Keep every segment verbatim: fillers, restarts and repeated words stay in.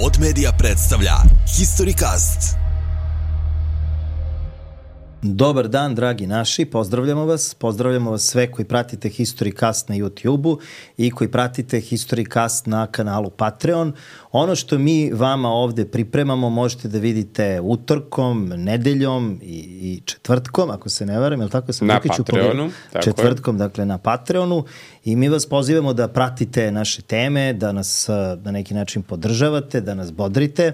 Pod Media predstavlja Historicast. Dobar dan, dragi naši, pozdravljamo vas. Pozdravljamo vas sve koji pratite Historicast na YouTube-u i koji pratite Historicast na kanalu Patreon. Ono što mi vama ovde pripremamo možete da vidite utorkom, nedeljom i, i četvrtkom, ako se ne varam, je li tako sam na Patreonu? Četvrtkom, dakle na Patreonu. I mi vas pozivamo da pratite naše teme, da nas na neki način podržavate, da nas bodrite.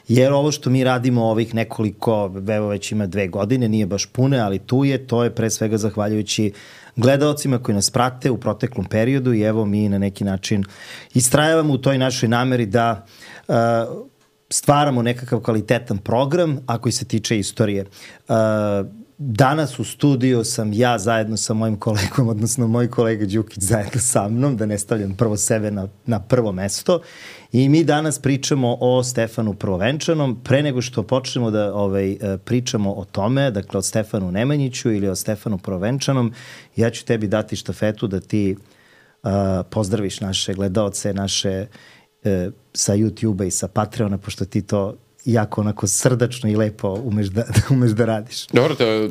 Jer ovo što mi radimo ovih nekoliko, evo već ima dve godine, nije baš pune, ali tu je, to je pre svega zahvaljujući gledaocima koji nas prate u proteklom periodu i evo mi na neki način istrajavamo u toj našoj nameri da uh, stvaramo nekakav kvalitetan program, a koji se tiče istorije. Uh, Danas u studiju sam ja zajedno sa mojim kolegom, odnosno moj kolega Đukić zajedno sa mnom, da ne stavljam prvo sebe na, na prvo mesto. I mi danas pričamo o Stefanu Prvovenčanom. Pre nego što počnemo da ovaj, pričamo o tome, dakle o Stefanu Nemanjiću ili o Stefanu Prvovenčanom, ja ću tebi dati štafetu da ti uh, pozdraviš naše gledaoce, naše uh, sa YouTube-a i sa Patreona, pošto ti to jako onako srdačno i lepo umeš da, da, umeš da radiš. Dobro, to je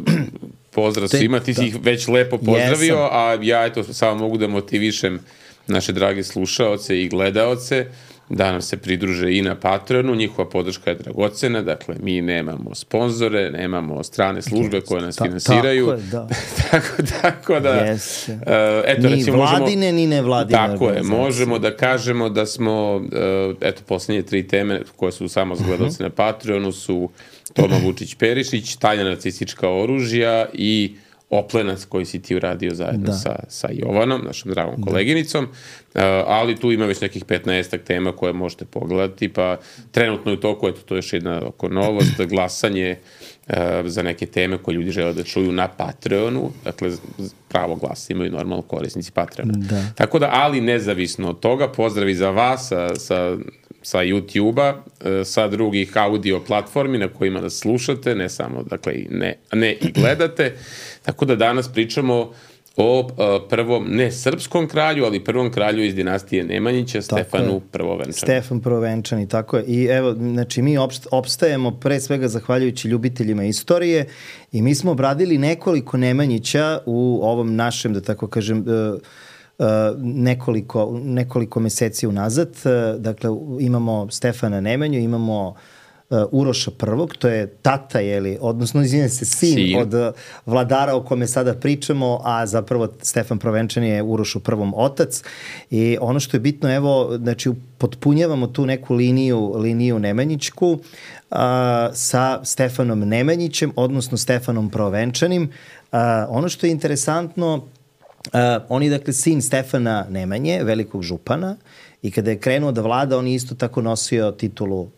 pozdrav svima, ti si ih već lepo pozdravio, Jesam. A ja eto samo mogu da motivišem naše drage slušaoce i gledaoce da nam se pridruže i na Patreonu, njihova podrška je dragocena, dakle mi nemamo sponzore, nemamo strane službe koje nas Ta, finansiraju. Tako je, da. tako, tako da, yes. uh, eto, ni recimo, vladine, možemo, ni nevladine. Tako je, možemo da kažemo da smo, uh, eto, poslednje tri teme koje su samo za gledalce uh-huh. na Patreonu su Toma Vučić-Perišić, tajna nacistička oružja i Oplenac koji si ti uradio zajedno da. sa, sa Jovanom, našom dragom koleginicom, uh, ali tu ima već nekih petnaestak tema koje možete pogledati, pa trenutno je to, eto, to je još jedna oko novost, glasanje uh, za neke teme koje ljudi žele da čuju na Patreonu, dakle pravo glasa imaju normalno korisnici Patreona. Da. Tako da, ali nezavisno od toga, pozdravi za vas sa, sa sa YouTube-a, sa drugih audio platformi na kojima nas slušate, ne samo, dakle, ne, ne i gledate. Tako da danas pričamo o uh, prvom, ne srpskom kralju, ali prvom kralju iz dinastije Nemanjića, tako Stefanu je. Prvovenčanu. Stefan Prvovenčan i tako je. I evo, znači mi opst, opstajemo pre svega zahvaljujući ljubiteljima istorije i mi smo obradili nekoliko Nemanjića u ovom našem, da tako kažem, uh, Uh, nekoliko, nekoliko meseci unazad. Uh, dakle, imamo Stefana Nemanju, imamo uh, Uroša prvog, to je tata, jeli, odnosno, izvinjam se, sin, sin. od uh, vladara o kome sada pričamo, a zapravo Stefan Prvovenčan je Urošu prvom otac. I ono što je bitno, evo, znači, potpunjavamo tu neku liniju, liniju Nemanjićku uh, sa Stefanom Nemanjićem, odnosno Stefanom Prvovenčanim. Uh, ono što je interesantno, Uh, on je, dakle, sin Stefana Nemanje, velikog župana, i kada je krenuo da vlada, on je isto tako nosio titulu uh,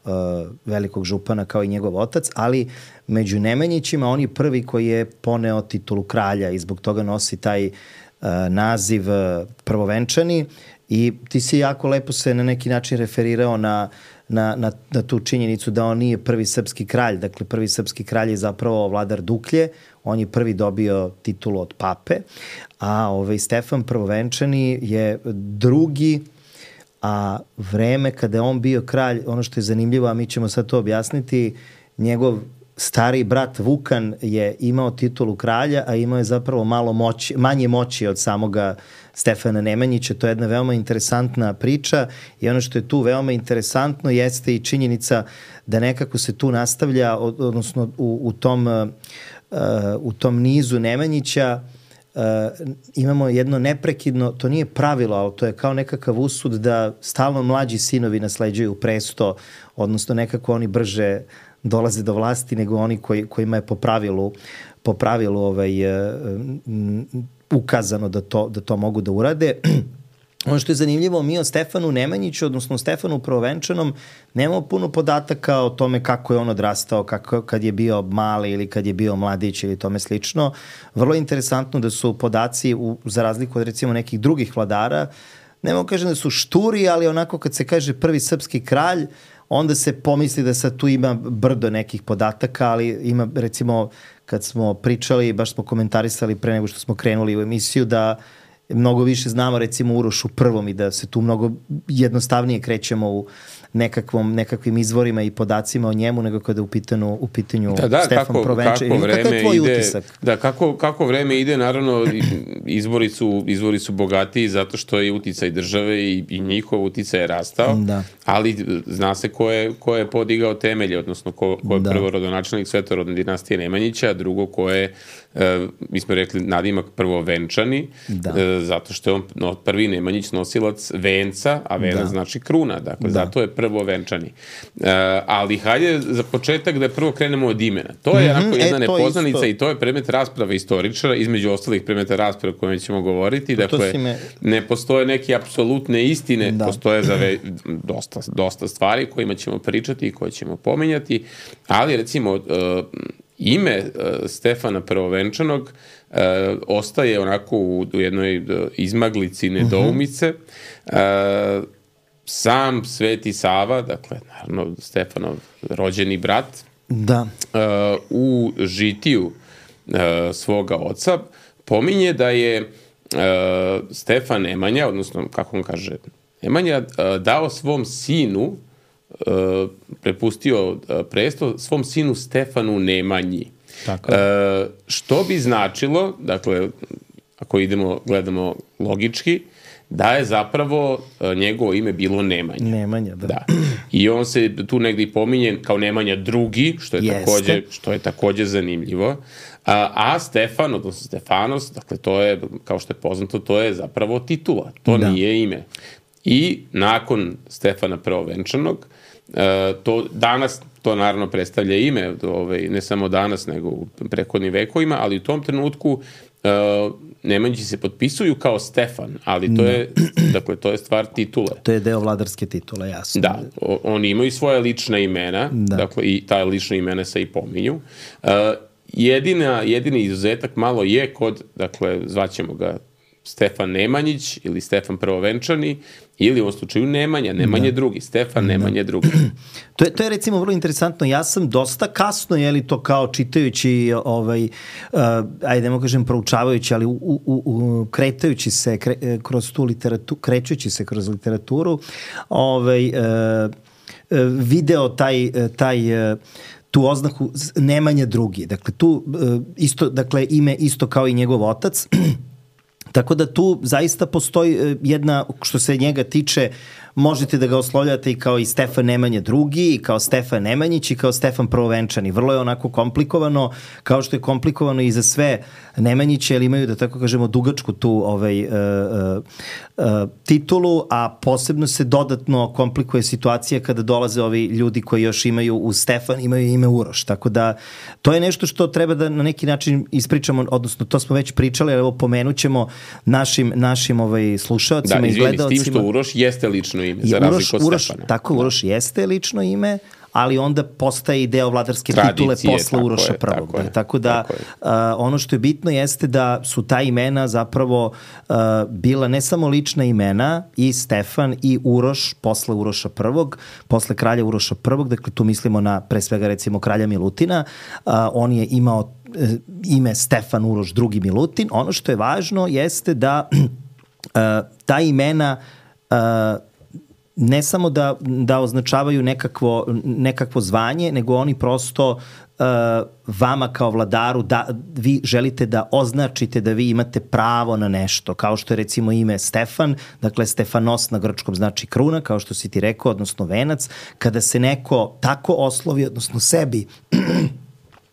velikog župana kao i njegov otac, ali među Nemanjićima on je prvi koji je poneo titulu kralja i zbog toga nosi taj uh, naziv uh, Prvovenčani. I ti si jako lepo se na neki način referirao na, na, na, na tu činjenicu da on nije prvi srpski kralj. Dakle, prvi srpski kralj je zapravo vladar Duklje. On je prvi dobio titulu od pape, a ovaj Stefan Prvovenčani je drugi, a vreme kada je on bio kralj, ono što je zanimljivo, a mi ćemo sad to objasniti, njegov stari brat Vukan je imao titulu kralja, a imao je zapravo malo moći, manje moći od samoga Stefana Nemanjića. To je jedna veoma interesantna priča i ono što je tu veoma interesantno jeste i činjenica da nekako se tu nastavlja, odnosno u, u tom Uh, u tom nizu Nemanjića uh, imamo jedno neprekidno, to nije pravilo, ali to je kao nekakav usud da stalno mlađi sinovi nasleđuju presto, odnosno nekako oni brže dolaze do vlasti nego oni koji, kojima je po pravilu, po pravilu ovaj, uh, ukazano da to, da to mogu da urade. Ono što je zanimljivo, mi o Stefanu Nemanjiću, odnosno Stefanu Prvovenčanom, nemamo puno podataka o tome kako je on odrastao, kako, kad je bio mali ili kad je bio mladić ili tome slično. Vrlo je interesantno da su podaci, u, za razliku od recimo nekih drugih vladara, ne mogu kažem da su šturi, ali onako kad se kaže prvi srpski kralj, onda se pomisli da sad tu ima brdo nekih podataka, ali ima recimo kad smo pričali, baš smo komentarisali pre nego što smo krenuli u emisiju, da mnogo više znamo recimo Urošu prvom i da se tu mnogo jednostavnije krećemo u nekakvom, nekakvim izvorima i podacima o njemu, nego kada je u pitanju, u pitanju da, da, Stefan kako, Provenčani. kako vreme Kakav je tvoj ide, utisak? Da, kako, kako vreme ide, naravno, izvori su, izvori su bogatiji zato što je uticaj države i, i njihov uticaj je rastao, da. ali zna se ko je, ko je podigao temelje, odnosno ko, ko je da. prvo rodonačelnik svetorodne dinastije Nemanjića, a drugo ko je, e, mi smo rekli, nadimak prvo Venčani, da. e, zato što je on no, prvi Nemanjić nosilac venca, a venac da. znači kruna, dakle, da. zato je prvo Venčani. E, ali hajde za početak da prvo krenemo od imena. To je mm-hmm, jedna e, nepoznanica i to je predmet rasprave istoričara, između ostalih predmeta rasprave o kojima ćemo govoriti. Dakle, me... ne postoje neke apsolutne istine, da. postoje za ve, dosta, dosta stvari kojima ćemo pričati i koje ćemo pominjati, ali recimo uh, ime uh, Stefana Prvovenčanog uh, ostaje onako u, u jednoj uh, izmaglici nedoumice. Uh-huh. Uh, sam Sveti Sava, dakle, naravno, Stefanov rođeni brat, da. Uh, u žitiju uh, svoga oca pominje da je uh, Stefan Nemanja, odnosno, kako on kaže, Nemanja uh, dao svom sinu, uh, prepustio uh, presto svom sinu Stefanu Nemanji. Tako. Uh, što bi značilo, dakle, ako idemo, gledamo logički, da je zapravo uh, njegovo ime bilo Nemanja. Nemanja, da. da. I on se tu negdje pominje kao Nemanja drugi, što je, takođe, što je takođe zanimljivo. A, a Stefan, odnosno Stefanos, dakle, to je, kao što je poznato, to je zapravo titula. To da. nije ime. I nakon Stefana Prvovenčanog, uh, to danas, to naravno predstavlja ime, ovaj, ne samo danas, nego u prethodnim vekovima, ali u tom trenutku uh, Nemanjići se potpisuju kao Stefan, ali to je, dakle, to je stvar titule. To je deo vladarske titule, jasno. Da, o, oni imaju svoje lična imena, da. dakle, i ta lična imena se i pominju. Uh, jedina, jedini izuzetak malo je kod, dakle, zvaćemo ga Stefan Nemanjić ili Stefan Prvovenčani ili u ovom slučaju Nemanja, Nemanje da. drugi, Stefan da. Nemanje drugi. To je, to je recimo vrlo interesantno. Ja sam dosta kasno, je li to kao čitajući, ovaj, uh, ajde nemo kažem proučavajući, ali u, u, u, kretajući se kre, kroz tu literaturu, krećući se kroz literaturu, ovaj, uh, uh, video taj, taj uh, tu oznaku Nemanja drugi. Dakle, tu uh, isto, dakle, ime isto kao i njegov otac. Tako da tu zaista postoji jedna, što se njega tiče, možete da ga oslovljate i kao i Stefan Nemanja drugi, i kao Stefan Nemanjić, i kao Stefan Prvovenčani. Vrlo je onako komplikovano, kao što je komplikovano i za sve Nemanjiće, jer imaju, da tako kažemo, dugačku tu ovaj, uh, uh, uh, titulu, a posebno se dodatno komplikuje situacija kada dolaze ovi ljudi koji još imaju u Stefan, imaju ime Uroš. Tako da to je nešto što treba da na neki način ispričamo, odnosno to smo već pričali, ali evo pomenut ćemo našim, našim ovaj, slušalcima da, i gledalcima. Da, izvini, s tim što Uroš jeste lično ime, za razliku od Uroš, Stefana. tako, da. Uroš jeste lično ime, ali onda postaje i deo vladarske tradicije, titule posle tako Uroša je, prvog. Tako, da, tako da tako uh, ono što je bitno jeste da su ta imena zapravo uh, bila ne samo lična imena, i Stefan i Uroš posle Uroša prvog, posle kralja Uroša prvog, dakle tu mislimo na pre svega recimo kralja Milutina, uh, on je imao uh, ime Stefan Uroš drugi Milutin. Ono što je važno jeste da uh, ta imena uh, ne samo da, da označavaju nekakvo, nekakvo zvanje, nego oni prosto uh, vama kao vladaru, da vi želite da označite da vi imate pravo na nešto, kao što je recimo ime Stefan, dakle Stefanos na grčkom znači kruna, kao što si ti rekao, odnosno venac. Kada se neko tako oslovi, odnosno sebi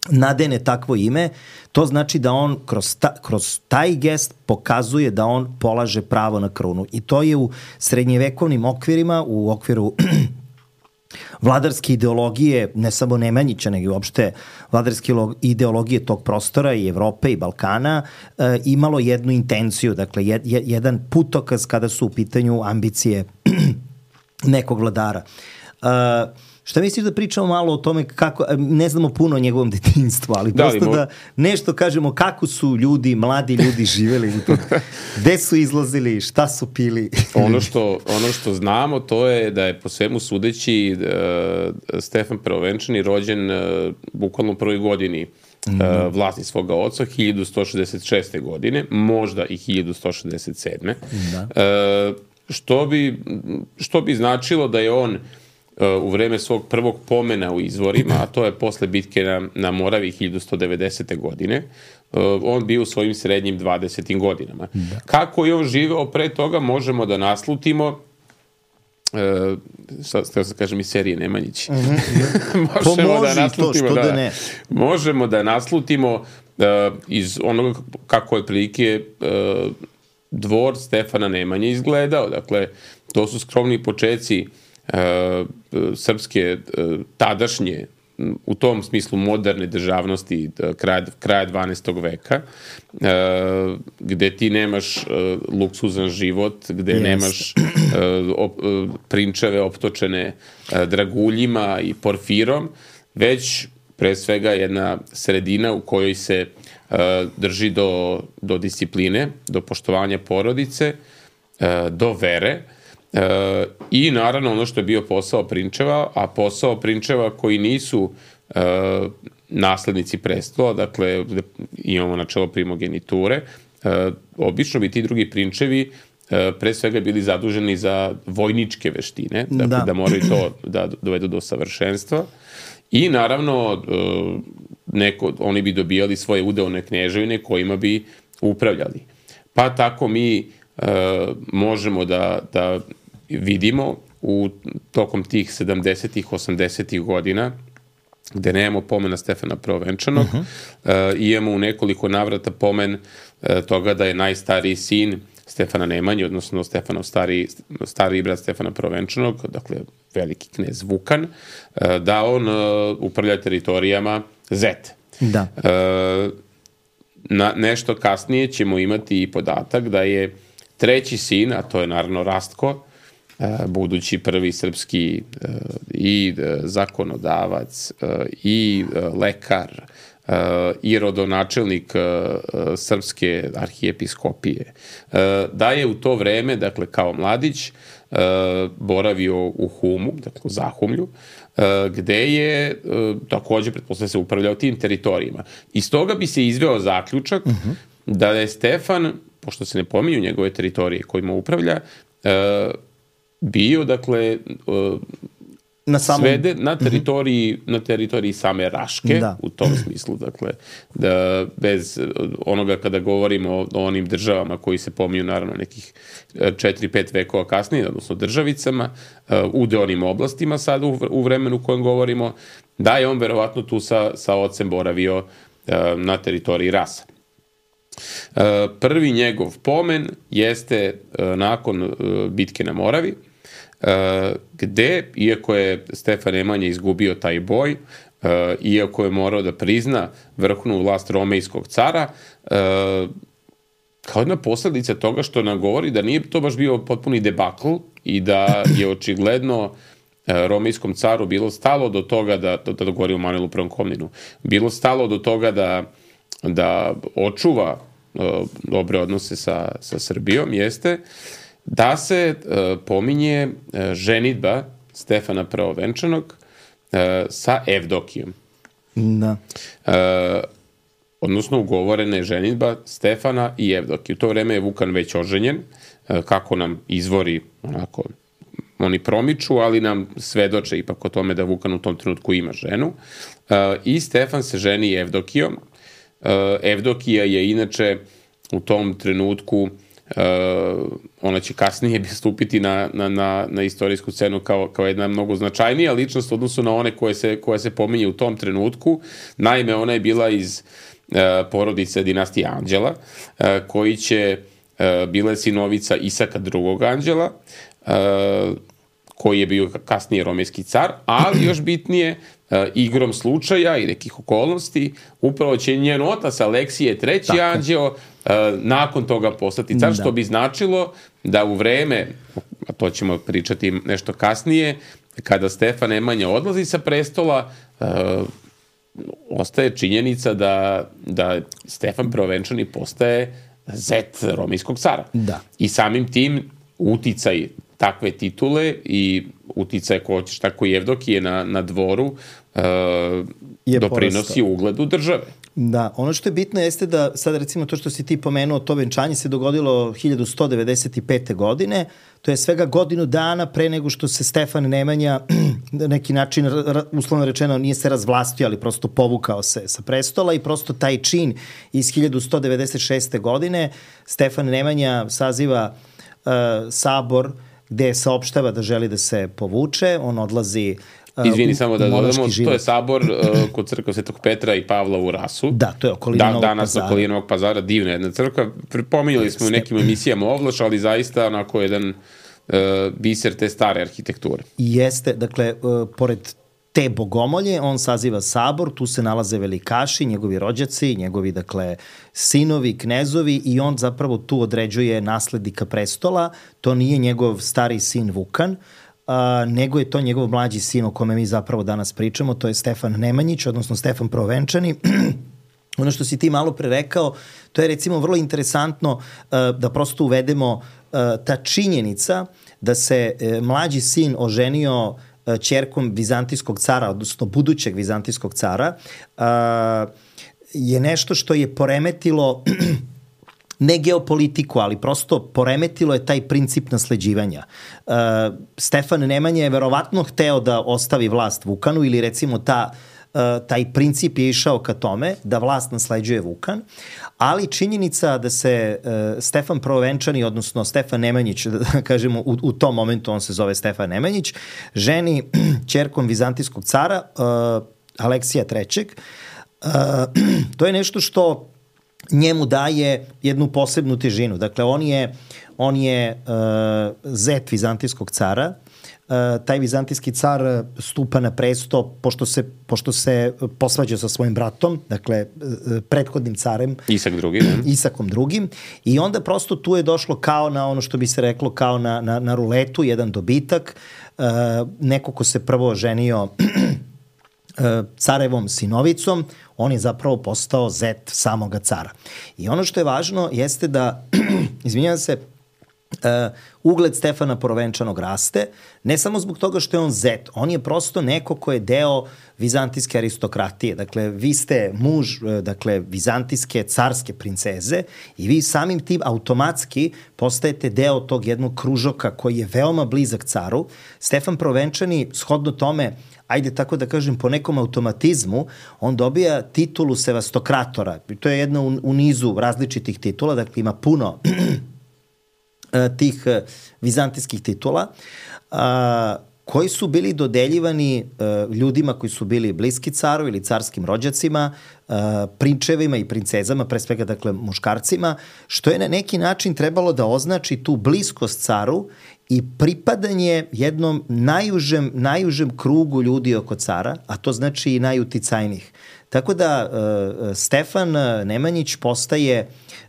nadene takvo ime, to znači da on kroz, ta, kroz taj gest pokazuje da on polaže pravo na krunu. I to je u srednjevekovnim okvirima, u okviru vladarske ideologije, ne samo Nemanjića, nego uopšte vladarske ideologije tog prostora i Evrope i Balkana, e, imalo jednu intenciju, dakle jed, jedan putokaz kada su u pitanju ambicije nekog vladara. E, Šta misliš da pričamo malo o tome kako, ne znamo puno o njegovom detinjstvu, ali da, prosto da nešto kažemo kako su ljudi, mladi ljudi živeli, gde su izlazili, šta su pili? Ono što, ono što znamo to je da je po svemu sudeći uh, Stefan Prvovenčani rođen uh, bukvalno u prvoj godini uh, vlasti svoga oca, hiljadu sto šezdeset šeste. godine, možda i hiljadu sto šezdeset sedme. Da. Uh, što, bi, što bi značilo da je on u vreme svog prvog pomena u izvorima, a to je posle bitke na, na Moravi hiljadu sto devedesete. godine, on bio u svojim srednjim dvadesetim godinama. Da. Kako je on živeo pre toga, možemo da naslutimo Uh, sad da kažem i serije Nemanjić. Mm-hmm. možemo Pomoži da naslutimo to, što da, da ne. možemo da naslutimo uh, iz onoga kako je prilike uh, dvor Stefana Nemanje izgledao. Dakle, to su skromni počeci uh, srpske uh, tadašnje, u tom smislu moderne državnosti kraja, kraja dvanaestog veka, uh, gde ti nemaš uh, luksuzan život, gde yes. nemaš uh, op, uh, prinčeve optočene uh, draguljima i porfirom, već pre svega jedna sredina u kojoj se uh, drži do, do discipline, do poštovanja porodice, uh, do vere, Uh, i naravno ono što je bio posao prinčeva, a posao prinčeva koji nisu uh, naslednici prestola, dakle imamo načelo primogeniture, uh, obično bi ti drugi prinčevi uh, pre svega bili zaduženi za vojničke veštine, dakle da, da moraju to da dovedu do savršenstva i naravno uh, neko, oni bi dobijali svoje udeone kneževine kojima bi upravljali. Pa tako mi uh, možemo da, da vidimo u tokom tih sedamdesetih, osamdesetih godina, gde nemamo pomena Stefana Prvovenčanog, uh-huh. uh, imamo u nekoliko navrata pomen uh, toga da je najstariji sin Stefana Nemanje, odnosno Stefanov stariji, stariji brat Stefana Prvovenčanog, dakle veliki knez Vukan, uh, da on uh, upravlja teritorijama Zet. Da. Uh, na, nešto kasnije ćemo imati i podatak da je treći sin, a to je naravno Rastko, budući prvi srpski uh, i uh, zakonodavac uh, i uh, lekar uh, i rodonačelnik uh, srpske arhijepiskopije, uh, da je u to vreme, dakle kao mladić, uh, boravio u Humu, dakle u Zahumlju, uh, gde je uh, takođe pretpostavlja se upravljao tim teritorijima. Iz toga bi se izveo zaključak uh-huh. da je Stefan, pošto se ne pominju njegove teritorije kojima upravlja, uh, bio, dakle, uh, na samom... svede na teritoriji, mm-hmm. na teritoriji same Raške, da. U tom smislu, dakle, da bez onoga kada govorimo o, o onim državama koji se pominju, naravno, nekih četiri pet vekova kasnije, odnosno državicama, uh, u deonim oblastima sad u, u vremenu u kojem govorimo, da je on verovatno tu sa, sa ocem boravio uh, na teritoriji Rasa. Uh, prvi njegov pomen jeste uh, nakon uh, bitke na Moravi, uh, gde, iako je Stefan Nemanje izgubio taj boj, uh, iako je morao da prizna vrhovnu vlast romejskog cara, uh, kao jedna posledica toga što nam govori da nije to baš bio potpuni debakl i da je očigledno uh, romejskom caru bilo stalo do toga da, da, da govori o Manuelu Prvom Komninu, bilo stalo do toga da da očuva uh, dobre odnose sa, sa Srbijom, jeste da se uh, pominje uh, ženidba Stefana Prvovenčanog uh, sa Evdokijom. Da. Uh, odnosno ugovorena je ženidba Stefana i Evdokije. U to vreme je Vukan već oženjen, uh, kako nam izvori onako oni promiču, ali nam svedoče ipak o tome da Vukan u tom trenutku ima ženu. Uh, I Stefan se ženi Evdokijom. Uh, Evdokija je inače u tom trenutku, uh, ona će kasnije stupiti na, na, na, na istorijsku scenu kao, kao jedna mnogo značajnija ličnost u odnosu na one koje se, koje se pominje u tom trenutku. Naime, ona je bila iz uh, porodice dinastije Anđela, uh, koji će uh, bila je sinovica Isaka drugog Anđela, uh, koji je bio kasnije romejski car, ali još bitnije, uh, igrom slučaja i nekih okolnosti, upravo će njen otac Aleksije treći Tako. Anđeo uh, nakon toga postati car, da. Što bi značilo da u vreme, a to ćemo pričati nešto kasnije, kada Stefan Nemanja odlazi sa prestola, uh, ostaje činjenica da, da Stefan Prvovenčani postaje zet romejskog cara. Da. I samim tim uticaj takve titule i uticaj ko hoćeš, tako i Evdokije na, na dvoru uh, doprinosi porastao ugledu države. Da, ono što je bitno jeste da sad recimo to što si ti pomenuo, to venčanje se dogodilo hiljadu sto devedeset pete. godine, to je svega godinu dana pre nego što se Stefan Nemanja na neki način, uslovno rečeno, nije se razvlastio, ali prosto povukao se sa prestola i prosto taj čin iz hiljadu sto devedeset šeste. godine Stefan Nemanja saziva uh, sabor gde saopštava da želi da se povuče, on odlazi Izvini, samo da dodamo, to je sabor uh, kod crkva Svetog Petra i Pavla u Rasu. Da, to je okolina da, Novog danas Pazara. okolina Novog Pazara, divna jedna crkva. Pominjali smo u nekim emisijama Ovlaš, ali zaista onako jedan uh, biser te stare arhitekture. Jeste, dakle, uh, pored te bogomolje, on saziva sabor, tu se nalaze velikaši, njegovi rođaci, njegovi, dakle, sinovi, knezovi i on zapravo tu određuje naslednika prestola. To nije njegov stari sin Vukan, Uh, nego je to njegov mlađi sin o kome mi zapravo danas pričamo, to je Stefan Nemanjić, odnosno Stefan Prvovenčani. Ono što si ti malo pre rekao, to je recimo vrlo interesantno uh, da prosto uvedemo uh, ta činjenica da se uh, mlađi sin oženio uh, ćerkom vizantijskog cara, odnosno budućeg vizantijskog cara, uh, je nešto što je poremetilo ne geopolitiku, ali prosto poremetilo je taj princip nasleđivanja. Uh, Stefan Nemanja je verovatno hteo da ostavi vlast Vukanu ili recimo ta, uh, taj princip je išao ka tome da vlast nasleđuje Vukan, ali činjenica da se uh, Stefan Prvovenčani, odnosno Stefan Nemanjić, da kažemo u, u tom momentu on se zove Stefan Nemanjić, ženi ćerkom vizantijskog cara uh, Aleksija trećeg. Uh, to je nešto što njemu daje jednu posebnu težinu. Dakle, on je, on je uh, zet vizantijskog cara. Uh, taj vizantijski car stupa na presto pošto se, pošto se posvađa sa svojim bratom, dakle, uh, prethodnim carem. Isak drugi. Ne? Isakom drugim. I onda prosto tu je došlo kao na ono što bi se reklo kao na, na, na ruletu, jedan dobitak. Uh, neko ko se prvo ženio carevom sinovicom, on je zapravo postao zet samoga cara. I ono što je važno jeste da, izvinjavam se, Uh, ugled Stefana Prvovenčanog raste, ne samo zbog toga što je on zet, on je prosto neko ko je deo vizantijske aristokratije. Dakle, vi ste muž, dakle, vizantijske carske princeze i vi samim tim automatski postajete deo tog jednog kružoka koji je veoma blizak caru. Stefan Prvovenčani, shodno tome, ajde tako da kažem, po nekom automatizmu, on dobija titulu sevastokratora. I to je jedna u, u nizu različitih titula, dakle ima puno tih vizantijskih titula, a, koji su bili dodeljivani a, ljudima koji su bili bliski caru ili carskim rođacima, a, prinčevima i princezama, pre svega, dakle, muškarcima, što je na neki način trebalo da označi tu bliskost caru i pripadanje jednom najužem, najužem krugu ljudi oko cara, a to znači i najuticajnijih. Tako da a, Stefan Nemanjić postaje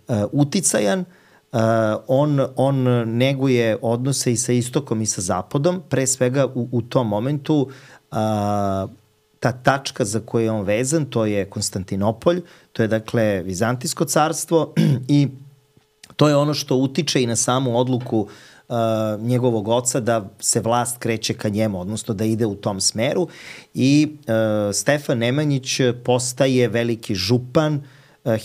a, uticajan. Uh, on, on neguje odnose i sa istokom i sa zapadom, pre svega u, u tom momentu uh, ta tačka za koju je on vezan, to je Konstantinopolj, to je dakle Vizantijsko carstvo i to je ono što utiče i na samu odluku uh, njegovog oca da se vlast kreće ka njemu, odnosno da ide u tom smeru i uh, Stefan Nemanjić postaje veliki župan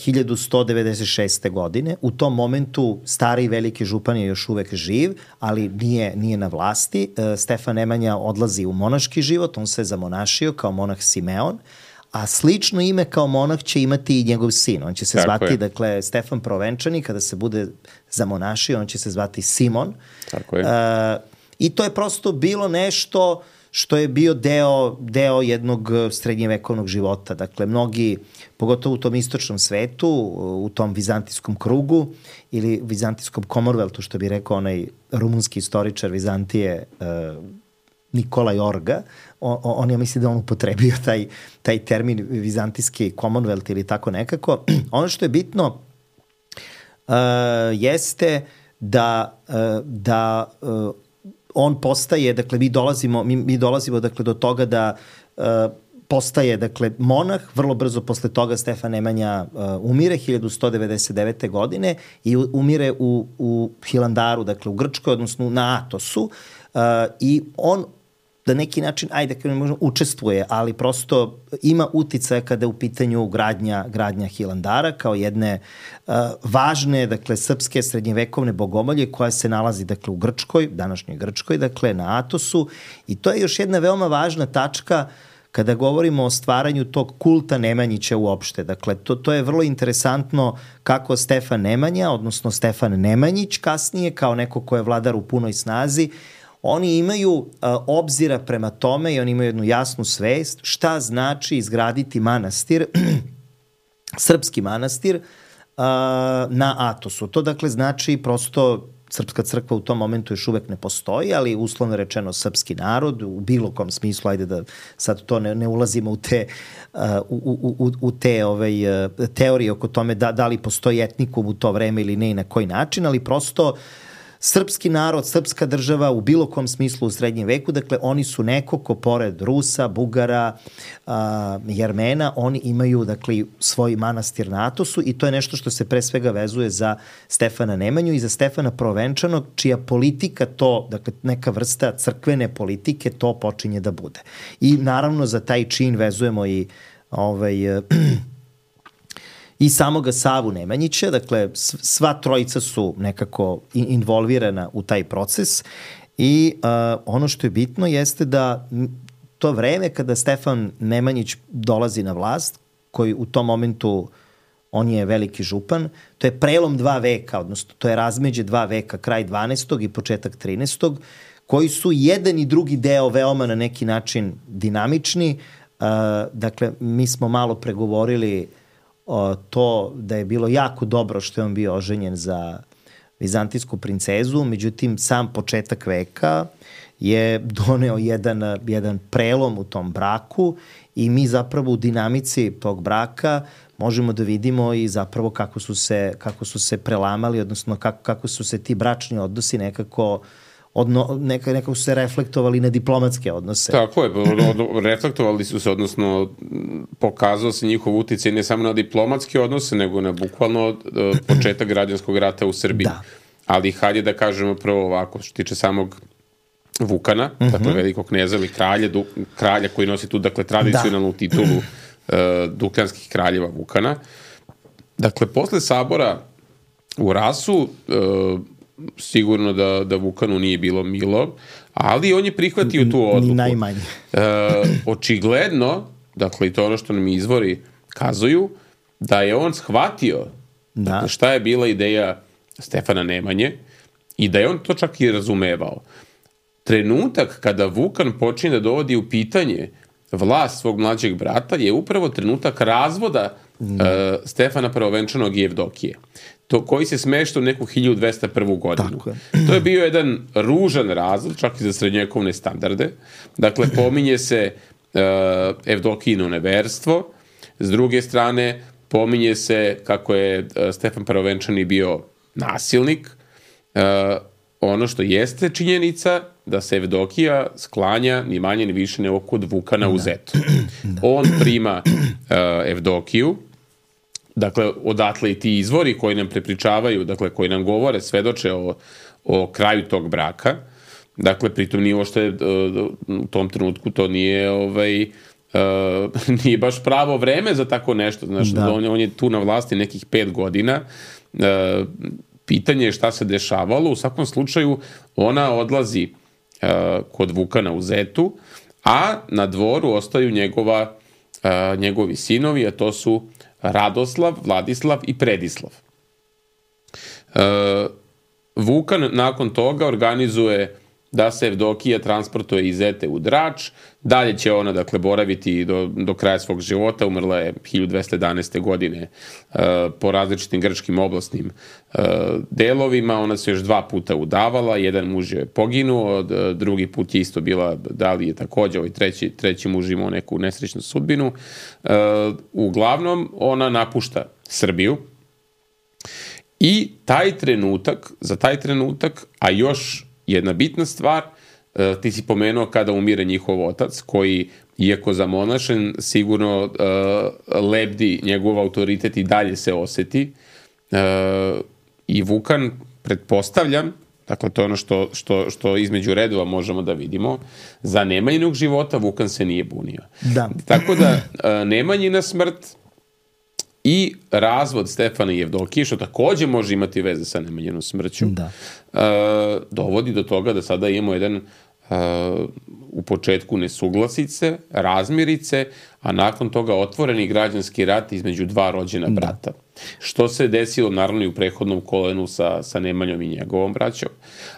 hiljadu sto devedeset šeste. godine. U tom momentu stari veliki župan je još uvek živ, ali nije, nije na vlasti. Stefan Nemanja odlazi u monaški život, on se zamonašio kao monah Simeon, a slično ime kao monah će imati i njegov sin. On će se Tako zvati, je. dakle, Stefan Prvovenčani, kada se bude zamonašio, on će se zvati Simon. Tako je. Uh, I to je prosto bilo nešto što je bio deo, deo jednog srednjevekovnog života. Dakle, mnogi, pogotovo u tom istočnom svetu, u tom vizantijskom krugu ili vizantijskom Commonwealthu, što bi rekao onaj rumunski istoričar Vizantije uh, Nikola Jorga, on, on ja mislim da on upotrebio taj, taj termin vizantijski Commonwealth ili tako nekako. Ono što je bitno uh, jeste da, uh, da uh, on postaje, dakle, mi dolazimo, mi, mi dolazimo dakle, do toga da uh, postaje, dakle, monah, vrlo brzo posle toga Stefan Nemanja uh, umire hiljadu sto devedeset devete. godine i umire u, u Hilandaru, dakle, u Grčkoj, odnosno na Atosu uh, i on da neki način, ajde da možemo, učestvuje, ali prosto ima uticaja kada je u pitanju gradnja, gradnja Hilandara kao jedne uh, važne, dakle, srpske srednjevekovne bogomolje koja se nalazi, dakle, u Grčkoj, današnjoj Grčkoj, dakle, na Atosu, i to je još jedna veoma važna tačka kada govorimo o stvaranju tog kulta Nemanjića uopšte. Dakle, to, to je vrlo interesantno kako Stefan Nemanja, odnosno Stefan Nemanjić kasnije, kao neko ko je vladar u punoj snazi, oni imaju uh, obzira prema tome i oni imaju jednu jasnu svest šta znači izgraditi manastir, srpski manastir, uh, na Atosu. To dakle znači prosto srpska crkva u tom momentu još uvek ne postoji, ali uslovno rečeno srpski narod u bilo kom smislu, ajde da sad to ne, ne ulazimo u te, uh, u, u, u te ovaj, uh, teorije oko tome da, da li postoji etnikum u to vreme ili ne i na koji način, ali prosto srpski narod, srpska država u bilo kom smislu u srednjem veku, dakle oni su neko ko pored Rusa, Bugara, a, Jermena, oni imaju dakle svoj manastir na Atosu i to je nešto što se pre svega vezuje za Stefana Nemanju i za Stefana Prvenčanog, čija politika to, dakle neka vrsta crkvene politike to počinje da bude. I naravno za taj čin vezujemo i ovaj i samoga Savu Nemanjića, dakle sva trojica su nekako involvirana u taj proces i uh, ono što je bitno jeste da to vreme kada Stefan Nemanjić dolazi na vlast, koji u tom momentu on je veliki župan, to je prelom dva veka, odnosno to je razmeđe dva veka, kraj dvanaestog i početak trinaestog, koji su jedan i drugi deo veoma na neki način dinamični. Uh, dakle, mi smo malo pregovorili O, to da je bilo jako dobro što je on bio oženjen za vizantijsku princezu, međutim sam početak veka je doneo jedan, jedan prelom u tom braku i mi zapravo u dinamici tog braka možemo da vidimo i zapravo kako su se, kako su se prelamali, odnosno kako, kako su se ti bračni odnosi nekako Odno, neka, nekako su se reflektovali na diplomatske odnose. Tako je, reflektovali su se, odnosno pokazao se njihov uticaj ne samo na diplomatske odnose, nego na bukvalno uh, početak građanskog rata u Srbiji. Da. Ali hajde da kažemo prvo ovako, što tiče samog Vukana, uh-huh. dakle velikog kneza ili kralja, du, kralja koji nosi tu dakle tradicionalnu da. titulu uh, Dukljanskih kraljeva Vukana. Dakle, posle sabora u Rasu uh, sigurno da, da Vukanu nije bilo milo, ali on je prihvatio tu odluku. Ni najmanje. e, očigledno, dakle i to ono što nam izvori kazuju, da je on shvatio da. dakle, šta je bila ideja Stefana Nemanje i da je on to čak i razumevao. Trenutak kada Vukan počinje da dovodi u pitanje vlast svog mlađeg brata je upravo trenutak razvoda da. e, Stefana Prvenčanog i Evdokije. To koji se smešta u neku hiljadu dvesta prvu godinu. Je. To je bio jedan ružan razvod, čak i za srednjevekovne standarde. Dakle, pominje se uh, Evdokijino neverstvo, s druge strane pominje se kako je uh, Stefan Prvenčani bio nasilnik. Uh, ono što jeste činjenica da se Evdokija sklanja ni manje ni više nego kod Vukana u Zetu. On prima uh, Evdokiju. Dakle, odatle i ti izvori koji nam prepričavaju, dakle, koji nam govore, svedoče o, o kraju tog braka. Dakle, pritom nije ošto je u tom trenutku to nije, ovaj, uh, nije baš pravo vreme za tako nešto. Znaš, da. on, on je tu na vlasti nekih pet godina. Uh, pitanje je šta se dešavalo. U svakom slučaju, ona odlazi uh, kod Vukana u Zetu, a na dvoru ostaju njegova, uh, njegovi sinovi, a to su Radoslav, Vladislav i Predislav. E, Vukan nakon toga organizuje da se Evdokija transportuje iz Zete u Drač. Dalje će ona, dakle, boraviti do, do kraja svog života. Umrla je hiljadu dvesta jedanaeste. godine e, po različitim grčkim oblastnim e, delovima. Ona se još dva puta udavala. Jedan muž je poginuo, drugi put je isto bila, da li je takođe, ovaj treći, treći muž imao neku nesrećnu sudbinu. E, uglavnom, ona napušta Srbiju. I taj trenutak, za taj trenutak, a još jedna bitna stvar, ti si pomenuo kada umire njihov otac, koji, iako zamonašen, sigurno uh, lebdi njegov autoritet i dalje se oseti. Uh, I Vukan, pretpostavljam, Dakle, to je ono što, što, što između redova možemo da vidimo. Za Nemanjinog života Vukan se nije bunio. Da. Tako da, Nemanjina smrt i razvod Stefana Jevdokije, što takođe može imati veze sa Nemanjinom smrću, da. dovodi do toga da sada imamo jedan u početku nesuglasice, razmirice, a nakon toga otvoreni građanski rat između dva rođena brata. Da. Što se desilo naravno i u prethodnom kolenu sa, sa Nemanjom i njegovom braćom.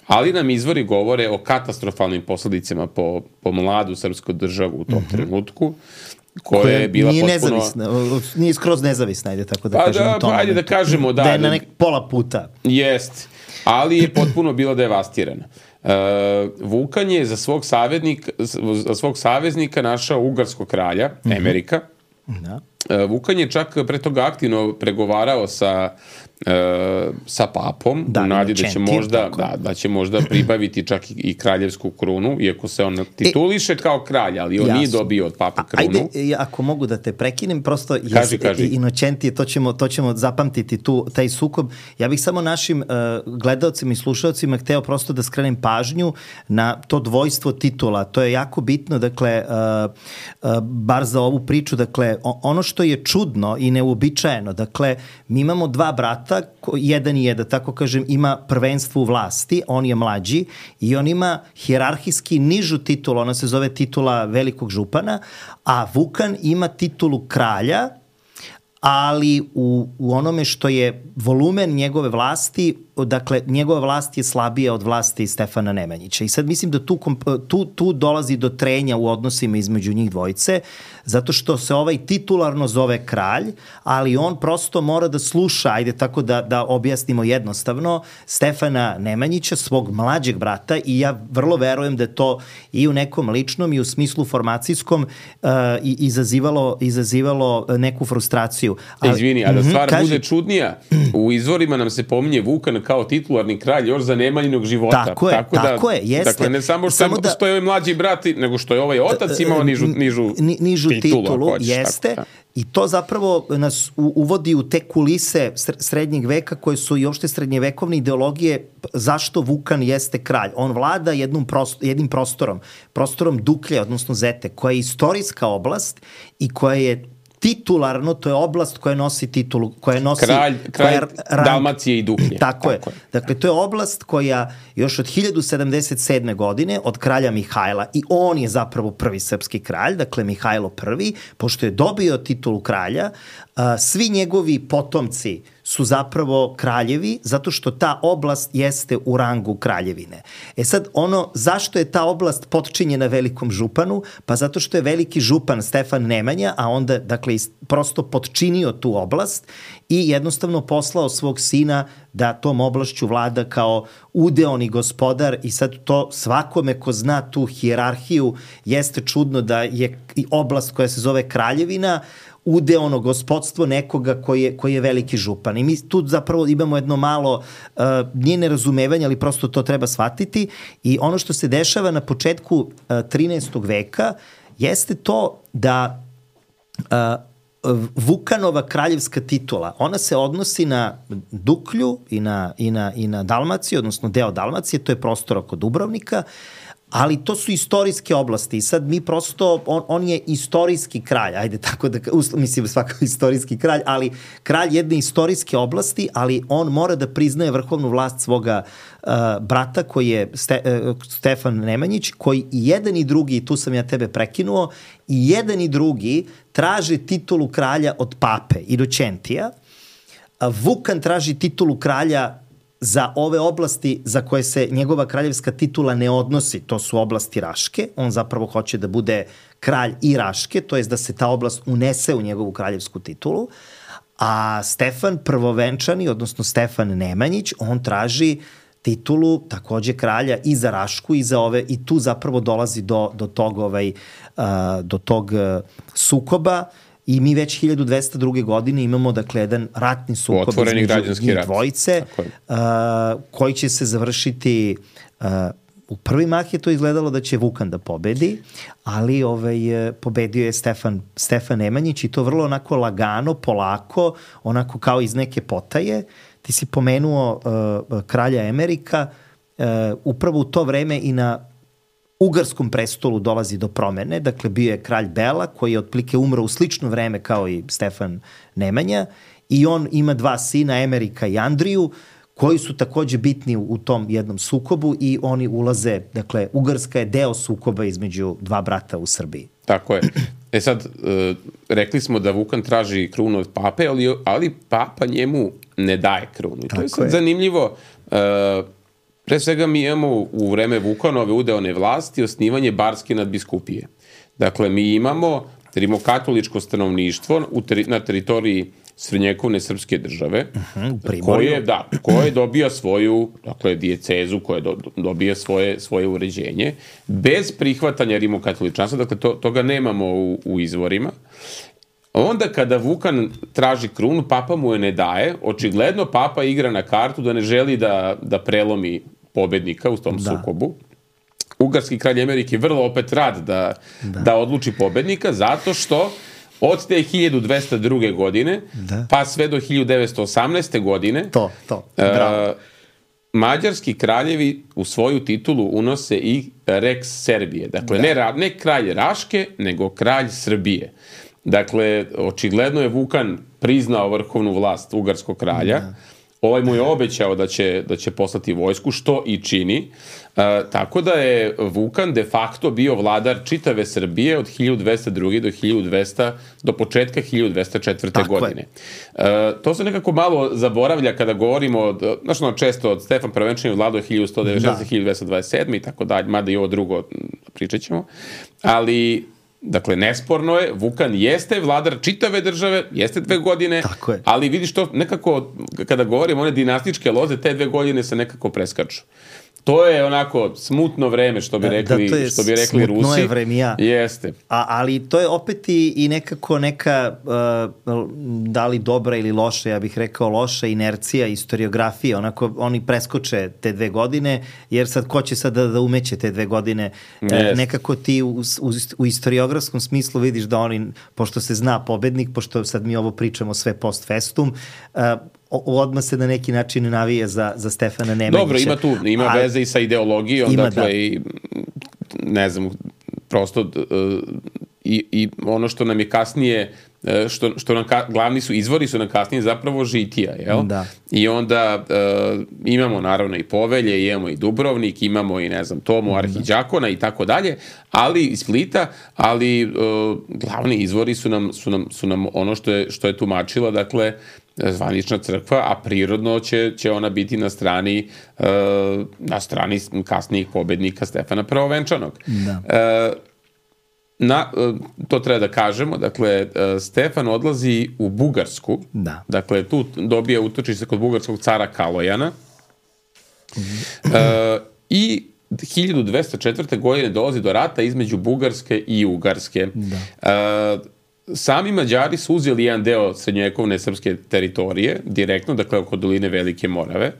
Ali nam izvori govore o katastrofalnim posledicama po, po mladu srpsku državu u tom mm-hmm. trenutku, koja, koja je bila nije potpuno... nezavisna, nije skroz nezavisna, ajde tako da pa kažemo. Da, pa ajde da kažemo, da. Da je na nek pola puta. Jest, ali je potpuno bila devastirana. Uh, Vukan je za svog, za svog saveznika našao ugarskog kralja, mm-hmm. Emerika. Da. Uh, Vukan je čak pre toga aktivno pregovarao sa, uh, sa papom, da, u nadi da će, možda, da, da će možda pribaviti čak i, i kraljevsku krunu, iako se on tituliše e, kao kralj, ali on jasno. Nije dobio od pape krunu. Ajde, ako mogu da te prekinem, prosto kaži, kaži. Inočentije, to ćemo, to ćemo zapamtiti tu, taj sukob. Ja bih samo našim uh, gledalcima i slušalcima hteo prosto da skrenem pažnju na to dvojstvo titula. To je jako bitno, dakle, uh, uh, bar za ovu priču, dakle, ono što je čudno i neuobičajeno, dakle, mi imamo dva brata, jedan je, da tako kažem, ima prvenstvo u vlasti, on je mlađi i on ima hijerarhijski nižu titulu, ona se zove titula velikog župana, a Vukan ima titulu kralja, ali u, u onome što je volumen njegove vlasti, dakle, njegova vlast je slabija od vlasti Stefana Nemanjića. I sad mislim da tu, tu, tu dolazi do trenja u odnosima između njih dvojice, zato što se ovaj titularno zove kralj, ali on prosto mora da sluša, ajde tako da, da objasnimo jednostavno, Stefana Nemanjića, svog mlađeg brata, i ja vrlo verujem da je to i u nekom ličnom i u smislu formacijskom uh, izazivalo, izazivalo neku frustraciju. Ali, Izvini, a da stvar mm-hmm, bude čudnija, u izvorima nam se pominje Vukan kao titularni kralj još za Nemanjinog života. Tako je, tako, tako da, je, jeste. Dakle, ne samo što, samo da, što je ovaj mlađi brat, nego što je ovaj otac imao nižu, nižu, nižu titulu, titulu hoćeš, jeste. Tako, da. I to zapravo nas uvodi u te kulise srednjeg veka koje su i opšte srednjevekovne ideologije zašto Vukan jeste kralj. On vlada jednom prostor, jednim prostorom, prostorom Duklje, odnosno Zete, koja je istorijska oblast i koja je titularno, to je oblast koja nosi titulu, koja nosi... Kralj, kralj koja, Dalmacije i Duklje. Tako, tako je. je. Dakle, to je oblast koja još od hiljadu sedamdeset sedme. godine, od kralja Mihajla, i on je zapravo prvi srpski kralj, dakle Mihajlo prvi, pošto je dobio titulu kralja, a, svi njegovi potomci su zapravo kraljevi, zato što ta oblast jeste u rangu kraljevine. E sad, ono, zašto je ta oblast potčinjena velikom županu? Pa zato što je veliki župan Stefan Nemanja, a onda, dakle, prosto potčinio tu oblast i jednostavno poslao svog sina da tom oblašću vlada kao udeoni gospodar, i sad to svakome ko zna tu hijerarhiju jeste čudno da je oblast koja se zove kraljevina udeono gospodstvo nekoga koji je, koji je veliki župan. I mi tu zapravo imamo jedno malo, uh, nije nerazumevanje, ali prosto to treba shvatiti. I ono što se dešava na početku uh, trinaestog veka jeste to da uh, Vukanova kraljevska titula, ona se odnosi na Duklju i na, i na, i na Dalmaciju, odnosno deo Dalmacije, to je prostor oko Dubrovnika, ali to su istorijske oblasti i sad mi prosto, on, on je istorijski kralj, ajde tako da, mislim svakako istorijski kralj, ali kralj jedne istorijske oblasti, ali on mora da priznaje vrhovnu vlast svoga uh, brata koji je Ste, uh, Stefan Nemanjić, koji i jedan i drugi, tu sam ja tebe prekinuo, i jedan i drugi traže titulu kralja od pape Inočentija, a Vukan traži titulu kralja za ove oblasti za koje se njegova kraljevska titula ne odnosi, to su oblasti Raške, on zapravo hoće da bude kralj i Raške, to jest da se ta oblast unese u njegovu kraljevsku titulu, a Stefan prvovenčani, odnosno Stefan Nemanjić, on traži titulu takođe kralja i za Rašku i za ove, i tu zapravo dolazi do, do tog, ovaj, uh, do tog uh, sukoba. I mi već hiljadu dvesta druge. godine imamo, dakle, jedan ratni sukob otvoreni između njih rat. dvojice, uh, koji će se završiti, uh, u prvi mah je to izgledalo da će Vukan da pobedi, ali ovaj, pobedio je Stefan, Stefan Nemanjić, i to vrlo onako lagano, polako, onako kao iz neke potaje. Ti si pomenuo uh, kralja Emerika, upravo u to vreme i na ugarskom prestolu dolazi do promene, dakle bio je kralj Bela koji je otplike umro u slično vreme kao i Stefan Nemanja i on ima dva sina, Emerika i Andriju, koji su takođe bitni u tom jednom sukobu i oni ulaze, dakle Ugarska je deo sukoba između dva brata u Srbiji. Tako je. E sad, e, rekli smo da Vukan traži krunu od pape, ali, ali papa njemu ne daje krunu. I to je sad je. zanimljivo. E, pre svega mi imamo u vreme Vukanove udeone vlasti osnivanje barske nadbiskupije. Dakle, mi imamo rimokatoličko stanovništvo u teri, na teritoriji srednjekovne srpske države, uh-huh, koje, da, koje dobija svoju, dakle, dijecezu, koje do, dobija svoje, svoje uređenje, bez prihvatanja rimokatoličanstva, dakle, to, toga nemamo u, u izvorima. Onda kada Vukan traži krunu, papa mu je ne daje, očigledno papa igra na kartu da ne želi da, da prelomi pobednika u tom da. sukobu. Ugarski kralj Emerik je vrlo opet rad da, da. da odluči pobednika, zato što od te hiljadu dvesta druge. godine, da. pa sve do hiljadu devetsto osamnaeste. godine, to, to. Bravo. Uh, mađarski kraljevi u svoju titulu unose i Rex Serbije. Dakle, da. ne, ne kralj Raške, nego kralj Srbije. Dakle, očigledno je Vukan priznao vrhovnu vlast ugarskog kralja. Da. Ovaj mu je obećao da će, da će poslati vojsku, što i čini. E, tako da je Vukan de facto bio vladar čitave Srbije od hiljadu dvesta druge. do hiljadu dvesta do početka hiljadu dvesta četvrte. Tako godine. E, to se nekako malo zaboravlja kada govorimo od, znaš ono često od Stefan Prvenčanin vladao hiljadu sto devedeset šeste. do hiljadu dvesta dvadeset sedme. i tako dalje, mada i ovo drugo pričat ćemo. Ali dakle, nesporno je, Vukan jeste vladar čitave države, jeste dve godine, ali vidiš to nekako, kada govorimo one dinastičke loze, te dve godine se nekako preskaču. To je onako smutno vreme, što bi rekli, da, što bi rekli Rusi. Smutno je vremija. Jeste. A, ali to je opet i, i nekako neka, uh, da li dobra ili loša, ja bih rekao loša inercija, historiografija, onako oni preskoče te dve godine, jer sad ko će sad da, da umeće te dve godine? Uh, nekako ti u, u, u historiografskom smislu vidiš da oni, pošto se zna pobednik, pošto sad mi ovo pričamo sve post festum, uh, odmah se na neki način navije za, za Stefana Nemanjića. Dobro, ima tu, ima a, veze i sa ideologijom, ima, dakle, da. i ne znam, prosto uh, i, i ono što nam je kasnije, što, što nam ka, glavni su izvori su nam kasnije zapravo Žitija, jel? Da. I onda uh, imamo naravno i Povelje, imamo i Dubrovnik, imamo i ne znam, Tomu, Arhiđakona i tako dalje, ali iz Splita, ali uh, glavni izvori su nam, su nam, su nam ono što je, što je tumačila, dakle, zvanična crkva, a prirodno će, će ona biti na strani uh, na strani kasnijih pobednika Stefana Prvovenčanog. Da. Uh, na, uh, to treba da kažemo, dakle, uh, Stefan odlazi u Bugarsku, da. Dakle, tu dobija utočište kod bugarskog cara Kalojana, uh, i hiljadu dvesta četvrte. godine dolazi do rata između Bugarske i Ugarske. Da. Uh, Sami Mađari su uzeli jedan deo srednjovekovne srpske teritorije, direktno, dakle oko doline Velike Morave.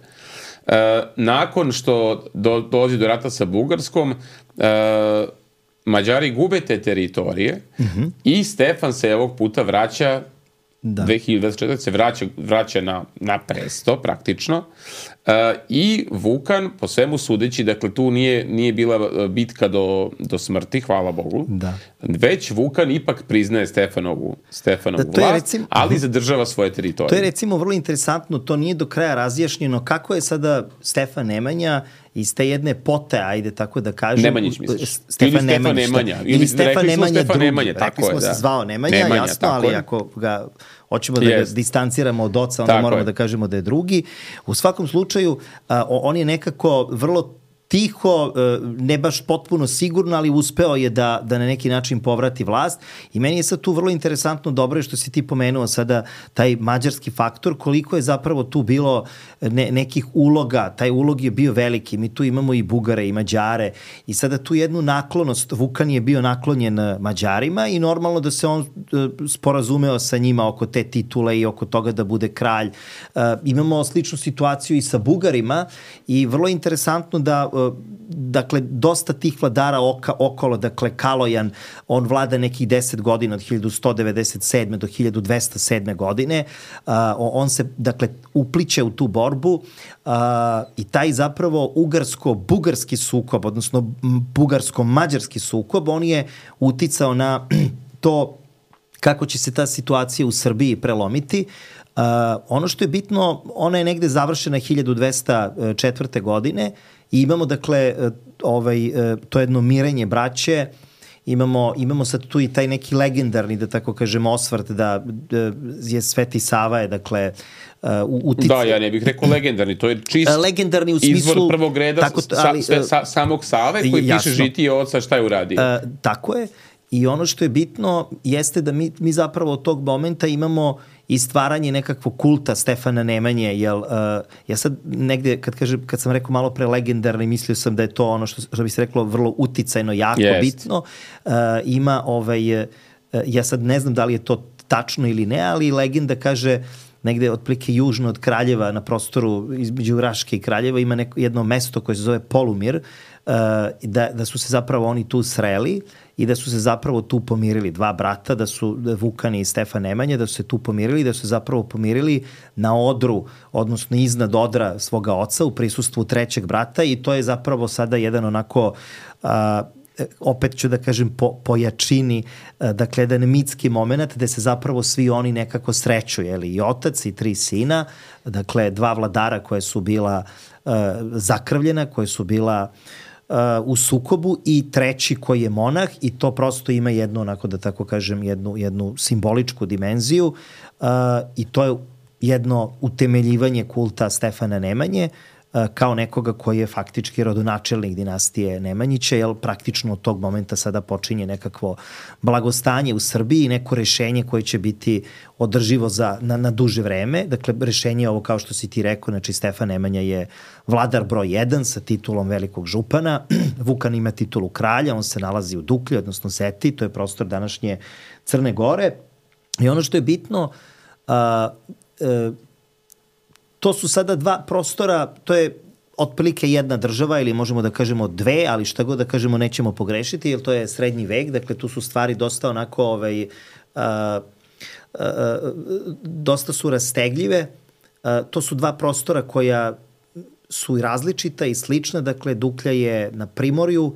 E, nakon što do, dolazi do rata sa Bugarskom, e, Mađari gube te teritorije, mm-hmm. i Stefan se ovog puta vraća, da. dve hiljade dvadeset četvrte. se vraća, vraća na, na presto, praktično. Uh, i Vukan, po svemu sudeći, dakle tu nije, nije bila bitka do, do smrti, hvala Bogu, da. Već Vukan ipak priznaje Stefanovu, Stefanovu da, vlast, recimo, ali zadržava svoje teritorije. To je recimo vrlo interesantno, to nije do kraja razjašnjeno kako je sada Stefan Nemanja iz te jedne pote, ajde tako da kažem. Nemanjić misliš? Stefan ili Stefan Nemanja. Nemanja. Ili, ili Stefan Nemanja Stefan drugi. Nemanja, tako rekli smo je, se da. zvao Nemanja, Nemanja, jasno, ali je. ako ga hoćemo da ga distanciramo od oca, onda tako moramo je. da kažemo da je drugi. U svakom slučaju, a, on je nekako vrlo tiho, ne baš potpuno sigurno, ali uspeo je da, da na neki način povrati vlast. I meni je sad tu vrlo interesantno, dobro je što si ti pomenuo sada taj mađarski faktor, koliko je zapravo tu bilo ne, nekih uloga. Taj ulog je bio veliki. Mi tu imamo i Bugare i Mađare i sada tu jednu naklonost. Vukan je bio naklonjen Mađarima i normalno da se on sporazumeo sa njima oko te titule i oko toga da bude kralj. Imamo sličnu situaciju i sa Bugarima i vrlo interesantno da dakle, dosta tih vladara oka, okolo, dakle, Kalojan, on vlada nekih deset godina od hiljadu sto devedeset sedme do hiljadu dvesta sedme godine. Uh, on se, dakle, upliće u tu borbu uh, i taj zapravo ugarsko-bugarski sukob, odnosno bugarsko-mađarski sukob, on je uticao na to kako će se ta situacija u Srbiji prelomiti. Uh, ono što je bitno, ona je negde završena hiljadu dvesta četvrte. godine i imamo, dakle, ovaj, to jedno mirenje braće, imamo, imamo sad tu i taj neki legendarni, da tako kažem, osvrt da, da je Sveti Sava je, dakle, u utice. Da, ja ne bih rekao legendarni, to je čist legendarni u smislu, izvor prvog reda tako, ali, sa, sa, samog Save koji jasno, piše žitije oca šta je uradio. Uh, tako je. I ono što je bitno jeste da mi, mi zapravo od tog momenta imamo i stvaranje nekakvog kulta Stefana Nemanje, jel, uh, ja sad negde, kad, kažem, kad sam rekao malo pre legendarni, mislio sam da je to ono što, što bi se reklo vrlo uticajno, jako yes. bitno. Uh, ima, ovaj, uh, ja sad ne znam da li je to tačno ili ne, ali legenda kaže negde otprilike južno od Kraljeva, na prostoru između Raške i Kraljeva, ima neko, jedno mesto koje se zove Polumir, uh, da, da su se zapravo oni tu sreli i da su se zapravo tu pomirili dva brata, da su Vukan i Stefan Nemanja, da su se tu pomirili, da su se zapravo pomirili na odru, odnosno iznad odra svoga oca u prisustvu trećeg brata i to je zapravo sada jedan onako, a, opet ću da kažem po, po jačini, a, dakle jedan mitski moment gde se zapravo svi oni nekako sreću, jeli, i otac i tri sina, dakle dva vladara koje su bila a, zakrvljena, koje su bila Uh, u sukobu i treći koji je monah i to prosto ima jednu, onako da tako kažem, jednu, jednu simboličku dimenziju uh, i to je jedno utemeljivanje kulta Stefana Nemanje uh, kao nekoga koji je faktički rodonačelnik dinastije Nemanjića, jer praktično od tog momenta sada počinje nekakvo blagostanje u Srbiji, neko rešenje koje će biti održivo za, na, na duže vreme. Dakle, rešenje je ovo kao što si ti rekao, znači Stefan Nemanja je vladar broj jedan sa titulom velikog župana, Vukan ima titulu kralja, on se nalazi u Duklji, odnosno Seti, to je prostor današnje Crne Gore. I ono što je bitno, a, a, to su sada dva prostora, to je otprilike jedna država ili možemo da kažemo dve, ali šta god da kažemo nećemo pogrešiti, jer to je srednji vek, dakle tu su stvari dosta onako, ovaj, a, a, a, dosta su rastegljive. A, to su dva prostora koja su i različita i slična, dakle Duklja je na primorju,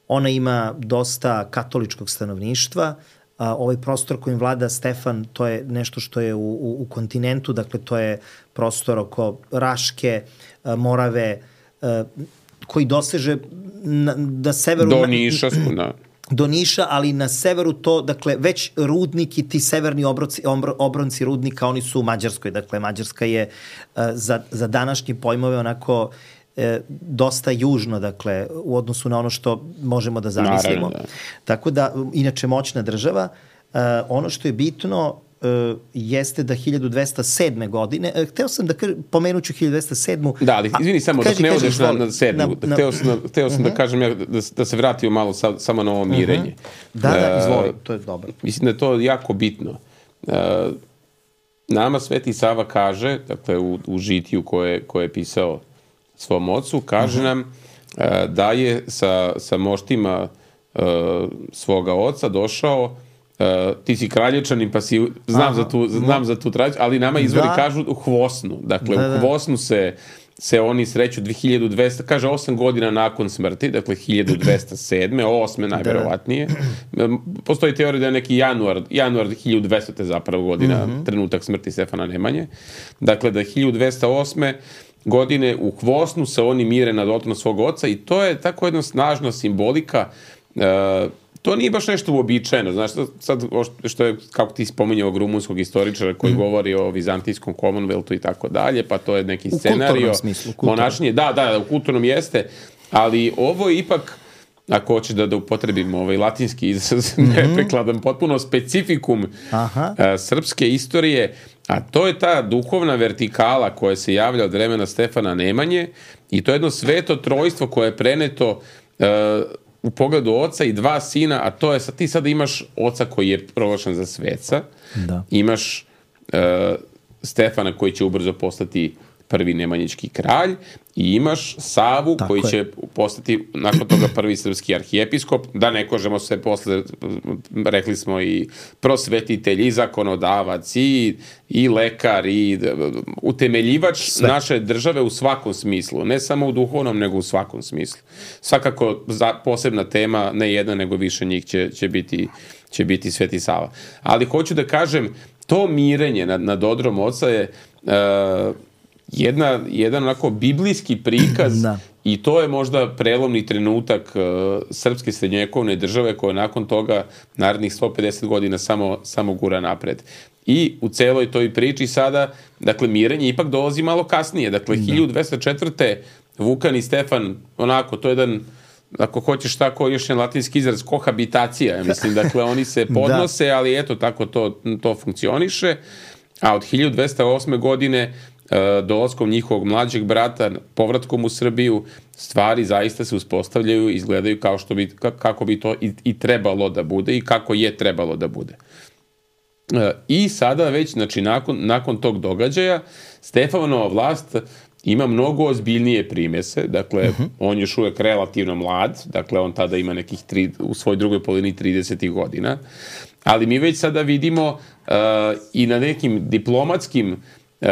ona ima dosta katoličkog stanovništva, a, ovaj prostor kojim vlada Stefan, to je nešto što je u, u, u kontinentu, dakle to je prostor oko Raške, a, Morave, a, koji doseže na, na severu... Do Niša, na... do Niša, ali na severu to, dakle, već rudnik i ti severni obronci, obronci rudnika, oni su u Mađarskoj. Dakle, Mađarska je uh, za, za današnje pojmove onako uh, dosta južno, dakle, u odnosu na ono što možemo da zamislimo. Naravno, da. Tako da, inače, moćna država. Uh, ono što je bitno uh, jeste da hiljadu dvesta sedme. godine, uh, hteo sam da kažem, pomenuću hiljadu dvesta sedmu. Da, ali izvini samo, dok ne odeš na, na sedmu, na, na, hteo sam, hteo sam uh-huh. da kažem ja, da, da se vratio malo sa, samo na ovo mirenje. Uh-huh. Da, da, izvoli, to je dobro. Uh, mislim da je to jako bitno. Uh, nama Sveti Sava kaže, dakle u, u žitiju koje, koje je pisao svom ocu, kaže uh-huh. nam uh, da je sa, sa moštima uh, svoga oca došao. Uh, ti si Kraljevčanin, pa si, znam, Aha, za tu, znam za tu tradiciju, ali nama izvori da. kažu u Hvosnu. Dakle, da, da. u Hvosnu se, se oni sreću hiljadu dvesta, kaže osam godina nakon smrti, dakle hiljadu dvesta sedme, osme najverovatnije. Da. Postoji teorija da je neki januar, januar hiljadu dvesta zapravo godina, mm-hmm. trenutak smrti Stefana Nemanje. Dakle, da hiljadu dvesta osme godine u Hvosnu se oni mire nad oltarom svog oca i to je tako jedna snažna simbolika. Uh, To nije baš nešto uobičajeno, znaš, sad što je, kako ti spominjao ovog rumunskog istoričara koji mm. govori o vizantijskom Commonwealthu i tako dalje, pa to je neki u scenario. U kulturnom smislu. Monašnje, da, da, u kulturnom jeste, ali ovo je ipak, ako hoćeš da, da upotrebimo ovaj latinski izraz, mm-hmm. neprekladan, potpuno specifikum Aha. a, srpske istorije, a to je ta duhovna vertikala koja se javlja od vremena Stefana Nemanje i to je jedno sveto trojstvo koje je preneto a, u pogledu oca i dva sina, a to je, sad, ti sada imaš oca koji je proglašen za sveca, da. imaš uh, Stefana koji će ubrzo postati prvi nemanjički kralj i imaš Savu tako koji je. će postati nakon toga prvi srpski arhijepiskop, da ne kažemo sve posle, rekli smo i prosvetitelj i zakonodavac i, i lekar i utemeljivač sve. Naše države u svakom smislu, ne samo u duhovnom nego u svakom smislu. Svakako za, posebna tema, ne jedna nego više njih će, će, biti, će biti Sveti Sava. Ali hoću da kažem, to mirenje nad, nad odrom oca je uh, Jedna, jedan onako biblijski prikaz da. I to je možda prelomni trenutak uh, srpske srednjovekovne države koja nakon toga narednih sto pedeset godina samo, samo gura napred. I u celoj toj priči sada, dakle, mirenje ipak dolazi malo kasnije. Dakle, da. hiljadu dvesta četvrte. Vukan i Stefan, onako, to je jedan, ako hoćeš tako, još jedan latinski izraz, kohabitacija, ja mislim. Dakle, oni se podnose, da. Ali eto, tako to, to funkcioniše. A od hiljadu dvesta osme. godine dolaskom njihovog mlađeg brata, povratkom u Srbiju, stvari zaista se uspostavljaju i izgledaju kao što bi, kako bi to i, i trebalo da bude i kako je trebalo da bude. I sada već, znači, nakon, nakon tog događaja, Stefanova vlast ima mnogo ozbiljnije primese, dakle, uh-huh. on još uvek relativno mlad, dakle, on tada ima nekih tri, u svojoj drugoj polovini tridesetih godina, ali mi već sada vidimo uh, i na nekim diplomatskim Uh,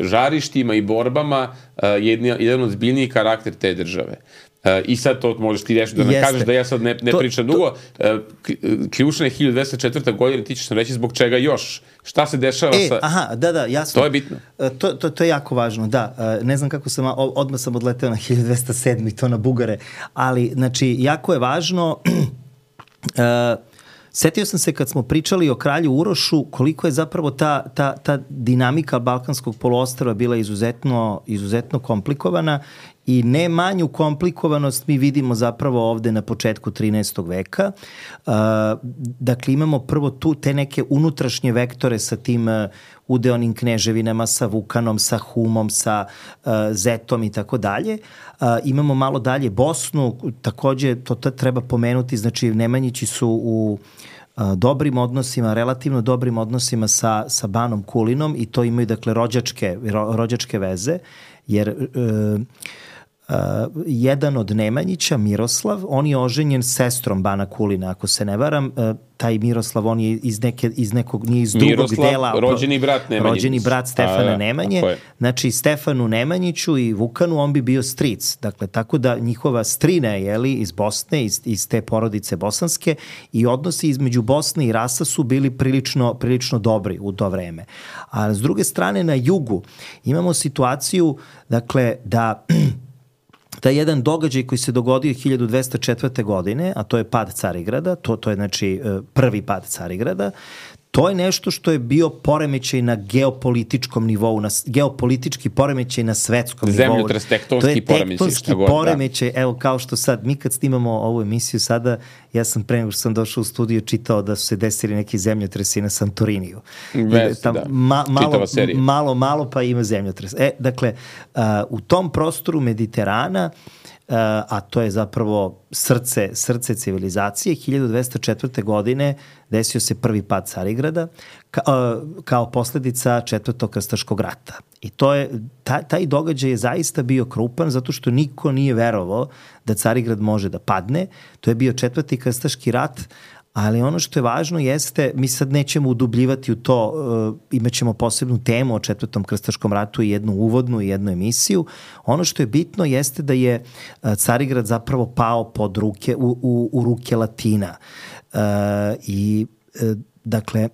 žarištima i borbama uh, jedni, jedan od zbiljnijih karakter te države. Uh, I sad to možeš ti reći da ne kažeš da ja sad ne, ne to, pričam to... dugo. Uh, ključna je hiljadu dvesta četvrta. godina, ti ćeš nam reći zbog čega još. Šta se dešava e, sa... Aha, da, da, jasno. To je bitno. Uh, to, to, to je jako važno, da. Uh, ne znam kako sam, odmah sam odleteo na hiljadu dvesta sedam. i to na Bugare, ali, znači, jako je važno... uh, Setio sam se kad smo pričali o kralju Urošu koliko je zapravo ta, ta, ta dinamika Balkanskog poluostrva bila izuzetno, izuzetno komplikovana i ne manju komplikovanost mi vidimo zapravo ovde na početku trinaestog veka. Uh, dakle, imamo prvo tu te neke unutrašnje vektore sa tim uh, udeonim kneževinama, sa Vukanom, sa Humom, sa uh, Zetom i tako dalje. Uh, imamo malo dalje Bosnu, takođe to treba pomenuti, znači Nemanjići su u uh, dobrim odnosima, relativno dobrim odnosima sa, sa Banom Kulinom i to imaju, dakle, rođačke, ro, rođačke veze, jer uh, Uh, jedan od Nemanjića, Miroslav, on je oženjen s sestrom Bana Kulina, ako se ne varam. Uh, taj Miroslav, on je iz, neke, iz nekog, nije iz drugog Miroslav, dela. rođeni brat Nemanjić. Rođeni brat Stefana A, Nemanje. Znači, Stefanu Nemanjiću i Vukanu on bi bio stric. Dakle, tako da njihova strina je, jeli, iz Bosne, iz, iz te porodice bosanske i odnosi između Bosne i Rasa su bili prilično, prilično dobri u to vreme. A s druge strane, na jugu imamo situaciju, dakle, da taj jedan događaj koji se dogodio hiljadu dvesta četvrte. godine, a to je pad Carigrada, to, to je, znači, prvi pad Carigrada, to je nešto što je bio poremećaj na geopolitičkom nivou, na geopolitički poremećaj na svetskom nivou. Zemljotres, tektonski poremećaj. To je tektonski poremećaj, da. Evo, kao što sad, mi kad snimamo ovu emisiju sada, ja sam pre nego što sam došao u studiju čitao da su se desili neki zemljotresi na Santoriniju. Vest, tam, da. Ma, malo, malo, malo pa ima zemljotres. E, dakle, uh, u tom prostoru Mediterana, Uh, a to je zapravo srce, srce civilizacije, hiljadu dvesta četvrte. godine desio se prvi pad Carigrada ka, uh, kao posledica četvrtog krstaškog rata. I to je, taj, taj događaj je zaista bio krupan zato što niko nije verovao da Carigrad može da padne. To je bio četvrti krstaški rat, ali ono što je važno jeste, mi sad nećemo udubljivati u to, uh, imat ćemo posebnu temu o četvrtom krstaškom ratu i jednu uvodnu i jednu emisiju. Ono što je bitno jeste da je uh, Carigrad zapravo pao pod ruke, u, u, u ruke Latina. Uh, I, uh, dakle,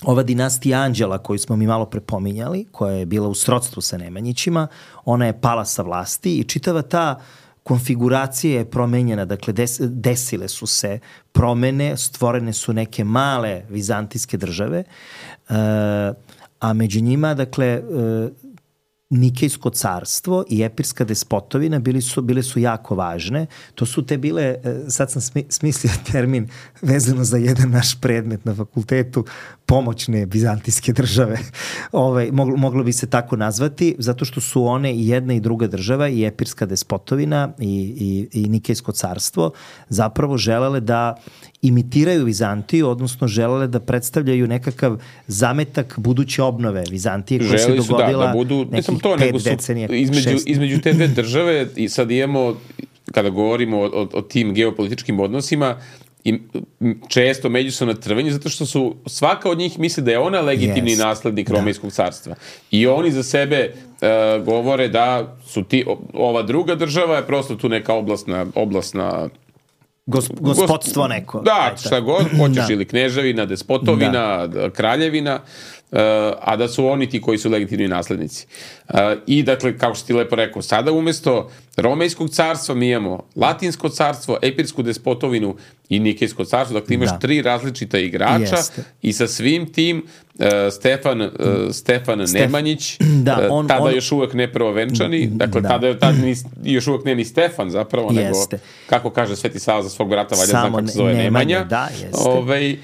ova dinastija Anđela koju smo mi malo prepominjali, koja je bila u srodstvu sa Nemanjićima, ona je pala sa vlasti i čitava ta konfiguracija je promenjena, dakle des, desile su se promene, stvorene su neke male vizantijske države, uh, a među njima, dakle, uh, Nikejsko carstvo i Epirska despotovina bili su, bile su jako važne. To su te bile, sad sam smislio termin vezano za jedan naš predmet na fakultetu, pomoćne bizantijske države, ovaj, moglo, moglo bi se tako nazvati, zato što su one i jedna i druga država, i Epirska despotovina i, i, i Nikejsko carstvo, zapravo želele da imitiraju Vizantiju, odnosno želele da predstavljaju nekakav zametak buduće obnove Vizantije koja Želi se dogodila da, da budu, nekih to, pet nego su decenija. Između, šest. između te dve države, i sad imamo, kada govorimo o, o, o tim geopolitičkim odnosima, i često međusobno trvenje, zato što su svaka od njih misli da je ona legitimni yes. naslednik Romejskog carstva. I oni za sebe uh, govore da su ti, ova druga država je prosto tu neka oblastna, oblastna Gos, gospodstvo neko. Da, šta god, hoćeš da. ili kneževina, despotovina, da. kraljevina, uh, a da su oni ti koji su legitimni naslednici. Uh, I dakle, kao što ti lepo rekao, sada umesto Romejskog carstva mi imamo Latinsko carstvo, Epirsku despotovinu i Nikejsko carstvo, dakle imaš da. tri različita igrača. Jeste. I sa svim tim uh, Stefan, uh, Stefan Stef... Nemanjić, da, on, tada on... još uvek ne prvovenčani, dakle da. tada, tada ni, još uvek ne ni Stefan zapravo, jeste. nego, kako kaže Sveti Sava za svog brata, valjda zna kako se zove Nemanja, Nemanja da, ovaj, uh,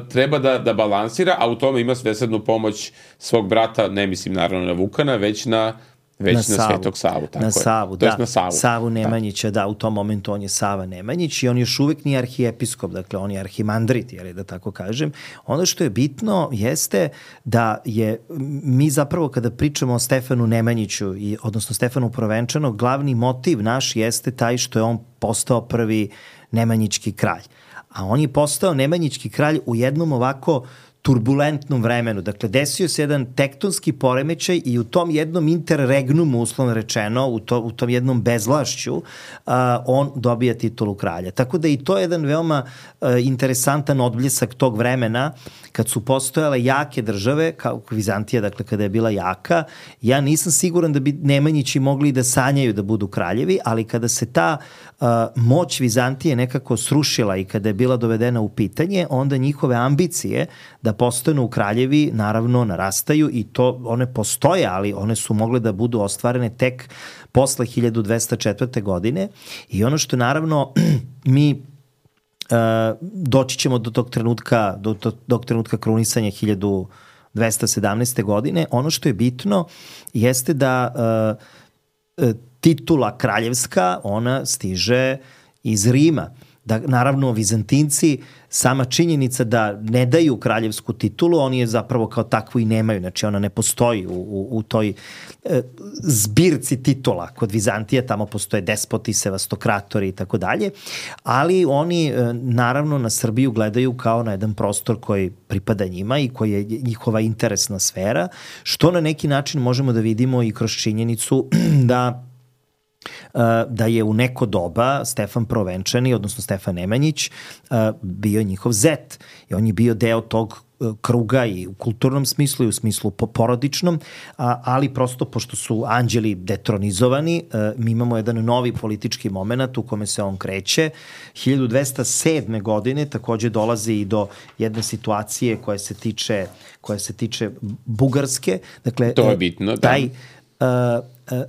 treba da, da balansira, a u tome ima svesrednu pomoć svog brata, ne mislim naravno na Vukana, već na već na, na Savu. Svetog Savu. Tako na Savu, da. Na Savu. Savu Nemanjića, da. da, u tom momentu on je Sava Nemanjić i on još uvek nije arhijepiskop, dakle on je arhimandrit, jel, da tako kažem. Ono što je bitno jeste da je, mi zapravo kada pričamo o Stefanu Nemanjiću, i, odnosno Stefanu Provenčanog, glavni motiv naš jeste taj što je on postao prvi Nemanjićki kralj. A on je postao Nemanjićki kralj u jednom ovako turbulentnom vremenu. Dakle, desio se jedan tektonski poremećaj i u tom jednom interregnumu, uslovno rečeno, u, to, u tom jednom bezvlašću, uh, on dobija titulu kralja. Tako da i to je jedan veoma uh, interesantan odbljesak tog vremena, kad su postojale jake države, kao Vizantija, dakle, kada je bila jaka. Ja nisam siguran da bi Nemanjići mogli da sanjaju da budu kraljevi, ali kada se ta uh, moć Vizantije nekako srušila i kada je bila dovedena u pitanje, onda njihove ambicije da postanu kraljevi naravno narastaju i to one postoje, ali one su mogle da budu ostvarene tek posle hiljadu dvesta četvrte. godine i ono što naravno mi uh, doći ćemo do tog trenutka, do, do, do trenutka krunisanja hiljadu dvesta sedamnaeste. godine, ono što je bitno jeste da uh, titula kraljevska, ona stiže iz Rima. Da, naravno, Vizantinci, sama činjenica da ne daju kraljevsku titulu, oni je zapravo kao takvu i nemaju, znači ona ne postoji u, u, u toj e, zbirci titula. Kod Vizantije tamo postoje despoti, sevastokratori i tako dalje, ali oni e, naravno na Srbiju gledaju kao na jedan prostor koji pripada njima i koji je njihova interesna sfera, što na neki način možemo da vidimo i kroz činjenicu da da je u neko doba Stefan Provenčani, odnosno Stefan Nemanjić, bio njihov zet. I on je bio deo tog kruga i u kulturnom smislu i u smislu porodičnom, ali prosto pošto su anđeli detronizovani, mi imamo jedan novi politički moment u kome se on kreće. hiljadu dvesta sedme. godine takođe dolazi i do jedne situacije koja se tiče, koja se tiče Bugarske. Dakle, to je bitno, da. Taj, uh,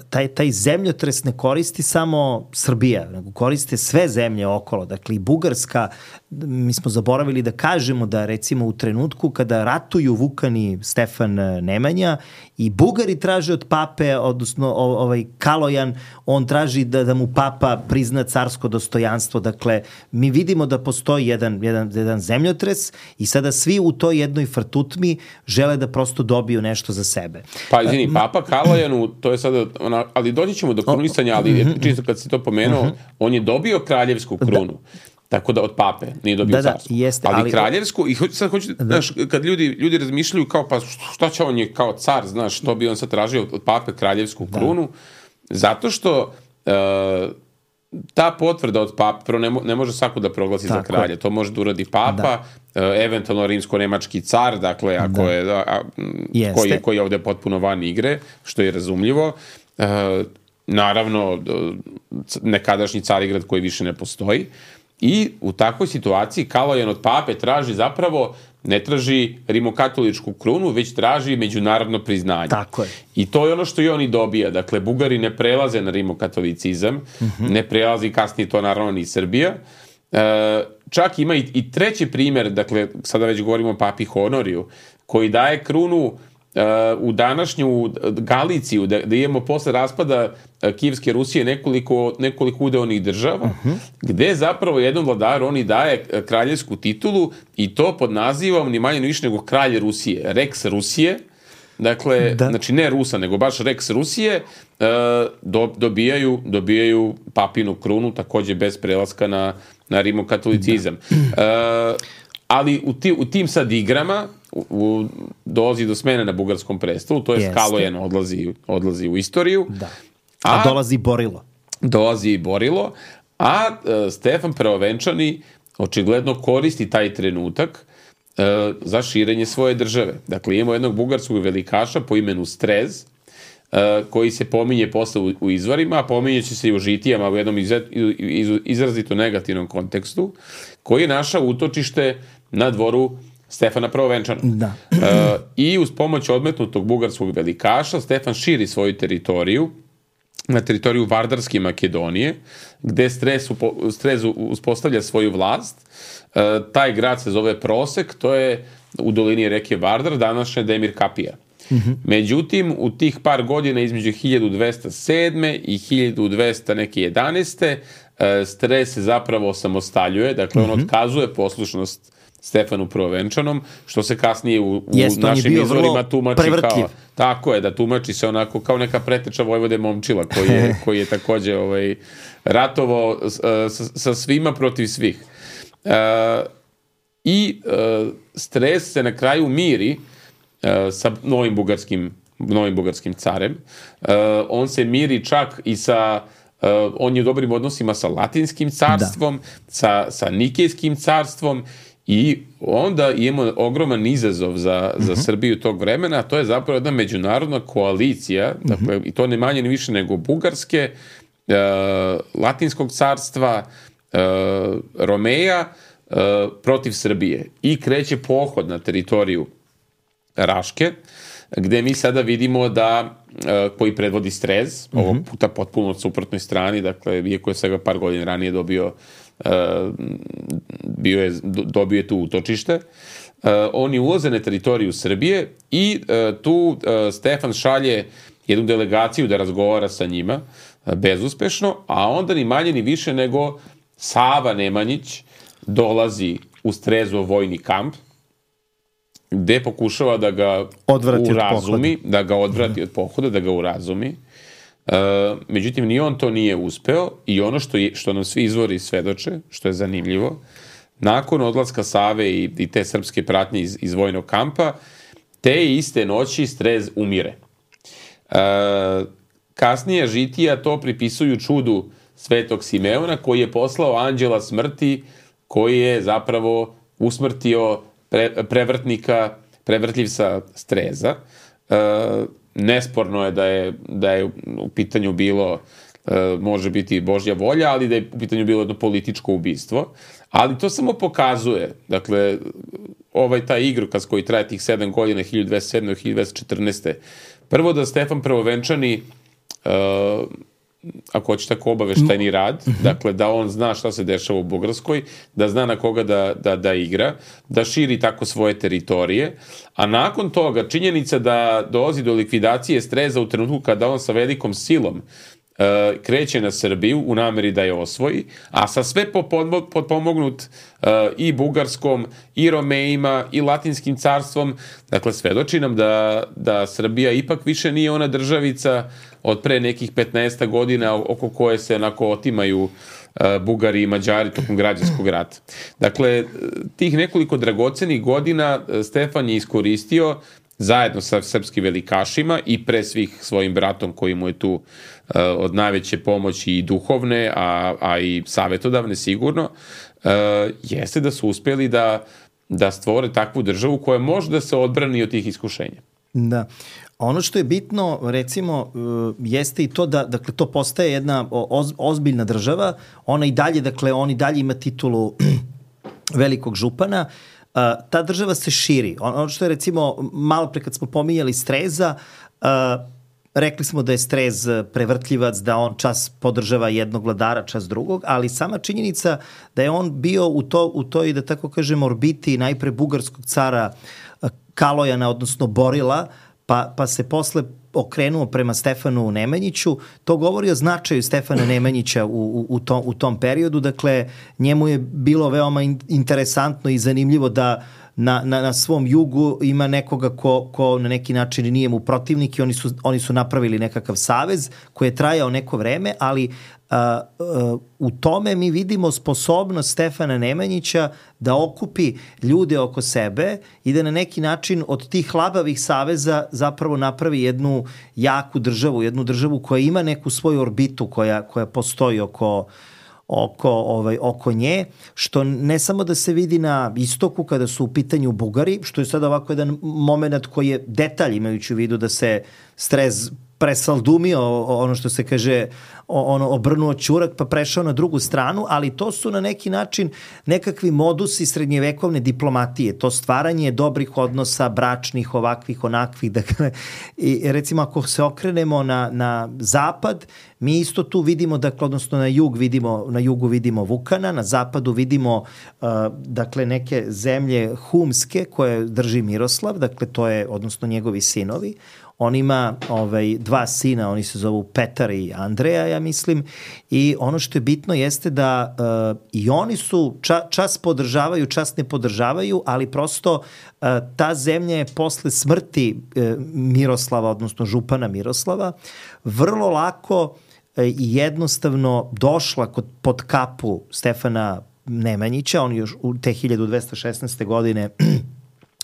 taj, taj zemljotres ne koristi samo Srbija, nego koriste sve zemlje okolo. Dakle, i Bugarska, mi smo zaboravili da kažemo da recimo u trenutku kada ratuju Vukan i Stefan Nemanja i Bugari traže od pape, odnosno ovaj Kalojan, on traži da, da mu papa prizna carsko dostojanstvo. Dakle, mi vidimo da postoji jedan, jedan, jedan zemljotres i sada svi u toj jednoj frtutmi žele da prosto dobiju nešto za sebe. Pa izvini, papa Kalojanu, to je sada, ona, ali doći ćemo do krunisanja, ali čisto kad si to pomenuo, on je dobio kraljevsku krunu. Da. Tako da od pape nije dobio da, carstvo. Da, jeste, ali, ali kraljevsku, i sad hoću, da. Znaš, kad ljudi, ljudi razmišljaju kao, pa šta će on je kao car, znaš, što bi on sad tražio od pape kraljevsku krunu, da. Zato što uh, ta potvrda od pape, prvo ne, mo, ne može svako da proglasi tako za kralja, to može da uradi papa, da. uh, eventualno rimsko-nemački car, dakle, ako da. je, a, koji, je, koji je ovde potpuno van igre, što je razumljivo. Uh, naravno, nekadašnji Carigrad koji više ne postoji. I u takvoj situaciji Kalojan od pape traži zapravo, ne traži rimokatoličku krunu, već traži međunarodno priznanje. Tako je. I to je ono što i oni dobija. Dakle, Bugari ne prelaze na rimokatolicizam, mm-hmm. ne prelazi kasnije to naravno ni Srbija. E, čak ima i, i treći primjer, dakle, sada već govorimo o papi Honoriju, koji daje krunu uh, u današnju Galiciju, da, da imamo posle raspada uh, Kijevske Rusije nekoliko, nekoliko udeonih država, uh-huh. gde zapravo jednom vladaru oni daje kraljevsku titulu i to pod nazivom ni manje ni više nego kralj Rusije, Rex Rusije. Dakle, da. Znači ne Rusa, nego baš Rex Rusije, uh, do, dobijaju, dobijaju papinu krunu, takođe bez prelaska na, na rimokatolicizam. Da. Uh, ali u, ti, u tim sad igrama u, u, dolazi do smene na bugarskom prestolu, to je Kalojen odlazi, odlazi u istoriju. Da. A, a dolazi Borilo. Dolazi i Borilo, a uh, Stefan Prvovenčani očigledno koristi taj trenutak za širenje svoje države. Dakle, imamo jednog bugarskog velikaša po imenu Strez, koji se pominje posle u, u izvorima, a pominje će se i u žitijama u jednom iz, iz, izrazito negativnom kontekstu, koji je našao utočište na dvoru Stefana Prvovenčana. Da. E, I uz pomoć odmetnutog bugarskog velikaša Stefan širi svoju teritoriju na teritoriju Vardarske Makedonije, gde Strez, Strez uspostavlja svoju vlast. E, taj grad se zove Prosek, to je u dolini reke Vardar, današnja Demir Kapija. Mm-hmm. Međutim, u tih par godina između hiljadu dvesta sedme i hiljadu dvesta jedanaeste. E, Strez se zapravo osamostaljuje, dakle mm-hmm. on otkazuje poslušnost Stefanu Prvovenčanom, što se kasnije u, u Jest, našim izvorima tumači kao, tako je, da tumači se onako kao neka preteča Vojvode Momčila, koji je, koji je takođe ovaj, ratovao sa, sa svima protiv svih. Uh, I uh, Strez se na kraju miri uh, sa novim bugarskim, novim bugarskim carem. Uh, on se miri čak i sa Uh, on je u dobrim odnosima sa Latinskim carstvom, da. sa, sa Nikejskim carstvom i onda imamo ogroman izazov za, za uh-huh. Srbiju tog vremena, a to je zapravo jedna međunarodna koalicija, uh-huh. dakle, i to ne manje ni više nego Bugarske, uh, Latinskog carstva, uh, Romeja, uh, protiv Srbije. I kreće pohod na teritoriju Raške, gde mi sada vidimo da uh, koji predvodi Strez, mm-hmm. ovog puta potpuno od suprotnoj strani, dakle, iako je svega par godina ranije dobio uh, bio je, dobio je tu utočište, uh, oni ulaze na teritoriju Srbije i uh, tu uh, Stefan šalje jednu delegaciju da razgovara sa njima, uh, bezuspešno, a onda ni manje ni više nego Sava Nemanjić dolazi u Strezov vojni kamp, gde pokušava da ga odvrati urazumi, da ga odvrati od pohoda, da ga urazumi. E, međutim, ni on to nije uspeo i ono što, je, što nam svi izvori svedoče, što je zanimljivo, nakon odlaska Save i, i te srpske pratnje iz, iz vojnog kampa, te iste noći Strez umire. E, kasnije žitija to pripisuju čudu Svetog Simeona, koji je poslao anđela smrti, koji je zapravo usmrtio Pre, prevrtnika, prevrtljivca Streza. E, nesporno je da je, da je u pitanju bilo, e, može biti Božja volja, ali da je u pitanju bilo jedno političko ubistvo. Ali to samo pokazuje, dakle, ovaj taj igrokaz koji traje tih sedam godina, hiljadu dvesta sedme do hiljadu dvesta četrnaeste. Prvo da Stefan Prvovenčani, e, ako hoće tako obaveštajni rad, mm-hmm. dakle da on zna šta se dešava u Bugarskoj, da zna na koga da, da, da igra, da širi tako svoje teritorije, a nakon toga činjenica da dolazi do likvidacije Streza u trenutku kada on sa velikom silom uh, kreće na Srbiju u nameri da je osvoji, a sa sve potpomognut uh, i Bugarskom, i Romejima, i Latinskim carstvom, dakle svedoči nam da, da Srbija ipak više nije ona državica od pre nekih petnaest godina oko koje se onako otimaju uh, Bugari i Mađari tokom građanskog rata. Dakle, tih nekoliko dragocenih godina Stefan je iskoristio zajedno sa srpskim velikašima i pre svih svojim bratom koji mu je tu uh, od najveće pomoći i duhovne, a, a i savetodavne sigurno, uh, jeste da su uspjeli da, da stvore takvu državu koja može da se odbrani od tih iskušenja. Da. Ono što je bitno, recimo, jeste i to da, dakle, to postaje jedna oz, ozbiljna država, ona i dalje, dakle, on i dalje ima titulu velikog župana, ta država se širi. Ono što je, recimo, malo pre kad smo pominjali Streza, rekli smo da je Strez prevrtljivac, da on čas podržava jednog vladara, čas drugog, ali sama činjenica da je on bio u, to, u toj, da tako kažem, orbiti najpre bugarskog cara Kalojana, odnosno Borila, pa, pa se posle okrenuo prema Stefanu Nemanjiću, to govori o značaju Stefana Nemanjića u, u, u, tom, u tom periodu. Dakle, njemu je bilo veoma in, interesantno i zanimljivo da na, na, na svom jugu ima nekoga ko, ko na neki način nije mu protivnik i oni su, oni su napravili nekakav savez koji je trajao neko vreme, ali uh, uh, u tome mi vidimo sposobnost Stefana Nemanjića da okupi ljude oko sebe i da na neki način od tih labavih saveza zapravo napravi jednu jaku državu, jednu državu koja ima neku svoju orbitu koja, koja postoji oko oko, ovaj, oko nje, što ne samo da se vidi na istoku kada su u pitanju Bugari, što je sad ovako jedan moment koji je detalj, imajući u vidu da se Strez presaldumio, ono što se kaže, ono, obrnuo ćurak pa prešao na drugu stranu, ali to su na neki način nekakvi modusi srednjevekovne diplomatije, to stvaranje dobrih odnosa, bračnih, ovakvih, onakvih, dakle, i recimo ako se okrenemo na, na zapad, mi isto tu vidimo, dakle, odnosno na jug vidimo, na jugu vidimo Vukana, na zapadu vidimo, uh, dakle, neke zemlje humske koje drži Miroslav, dakle, to je, odnosno njegovi sinovi. On ima ovaj, dva sina, oni se zovu Petar i Andreja, ja mislim, i ono što je bitno jeste da uh, i oni su, ča, čas podržavaju, čas ne podržavaju, ali prosto uh, ta zemlja je posle smrti uh, Miroslava, odnosno župana Miroslava, vrlo lako uh, i jednostavno došla kod, pod kapu Stefana Nemanjića, on još u te hiljadu dvesta šesnaeste. godine,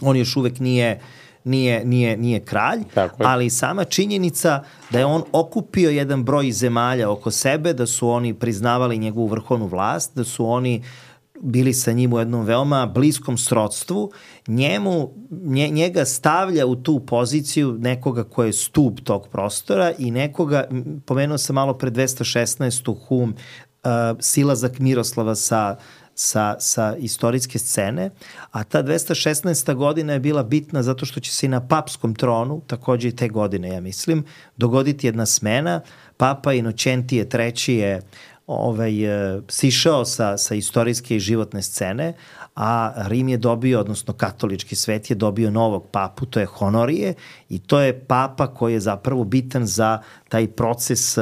on još uvek nije Nije, nije, nije kralj, ali sama činjenica da je on okupio jedan broj zemalja oko sebe, da su oni priznavali njegovu vrhovnu vlast, da su oni bili sa njim u jednom veoma bliskom srodstvu, njemu, nje, njega stavlja u tu poziciju nekoga ko je stub tog prostora i nekoga, pomenuo sam malo pre dvesta šesnaestu. Hum, uh, silazak Miroslava sa Sa, sa istorijske scene, a ta dvesta šesnaesta. godina je bila bitna zato što će se i na papskom tronu, takođe i te godine, ja mislim, dogoditi jedna smena. Papa Inocentije treći je ovaj, sišao sa, sa istorijske i životne scene, a Rim je dobio, odnosno katolički svet je dobio novog papu, to je Honorije, i to je papa koji je zapravo bitan za taj proces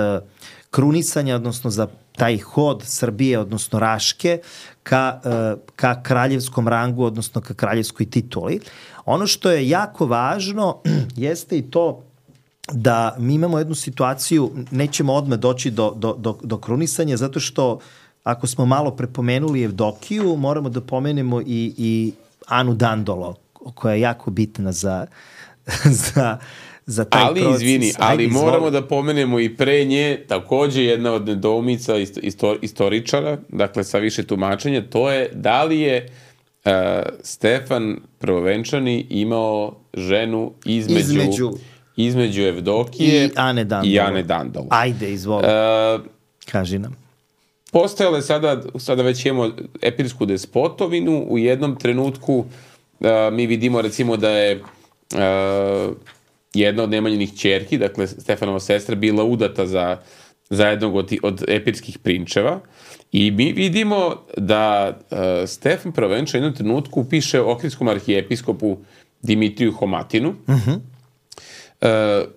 krunisanja, odnosno za taj hod Srbije, odnosno Raške, ka, ka kraljevskom rangu, odnosno ka kraljevskoj tituli. Ono što je jako važno jeste i to da mi imamo jednu situaciju, nećemo odmah doći do, do, do, do krunisanja, zato što ako smo malo prepomenuli Evdokiju, moramo da pomenemo i, i Anu Dandolo, koja je jako bitna za, za za taj ali, proces. Izvini, ali Ajde, moramo da pomenemo i pre nje takođe jedna od nedoumica isto, istoričara, dakle sa više tumačenja, to je da li je uh, Stefan Prvovenčani imao ženu između, između, između Evdokije i Ane Dandolo. I Ane Dandolo. Ajde, izvoli. Uh, Kaži nam. Postojale sada, sada već imamo epirsku despotovinu, u jednom trenutku uh, mi vidimo recimo da je uh, jedna od Nemanjinih ćerki, dakle Stefanova sestra, bila udata za, za jednog od, od epirskih prinčeva i mi vidimo da uh, Stefan Prvovenčani u jednom trenutku piše ohridskom arhijepiskopu Dimitriju Homatinu. Uh-huh. Uh,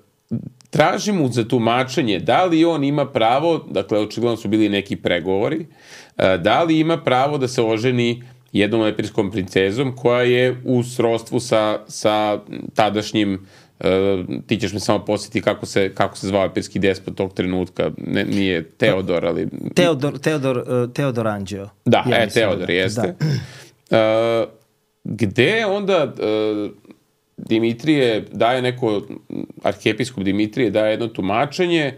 traži mu za tumačenje da li on ima pravo, dakle očigledno su bili neki pregovori, uh, da li ima pravo da se oženi jednom epirskom princezom koja je u srodstvu sa, sa tadašnjim. Uh, ti ćeš me samo posjetiti kako se, kako se zvao epirski despot tog trenutka. Ne, nije Teodor, ali... Teodor, Teodor, uh, Teodor Anđeo. Da, ja e, Teodor da, jeste. Da. Uh, gde onda uh, Dimitrije daje neko, arhijepiskop Dimitrije daje jedno tumačenje,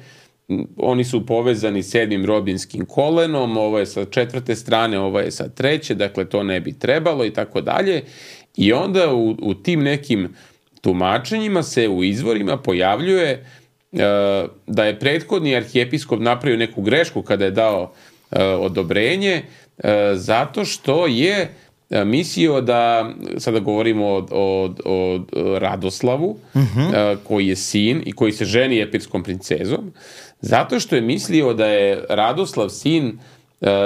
oni su povezani sedmim robinskim kolenom, ovo je sa četvrte strane, ovo je sa treće, dakle to ne bi trebalo i tako dalje. I onda u, u tim nekim tumačenjima se u izvorima pojavljuje uh, da je prethodni arhijepiskop napravio neku grešku kada je dao uh, odobrenje, uh, zato što je mislio da, sada govorimo o, o, o Radoslavu, uh-huh. koji je sin i koji se ženi epirskom princezom, zato što je mislio da je Radoslav sin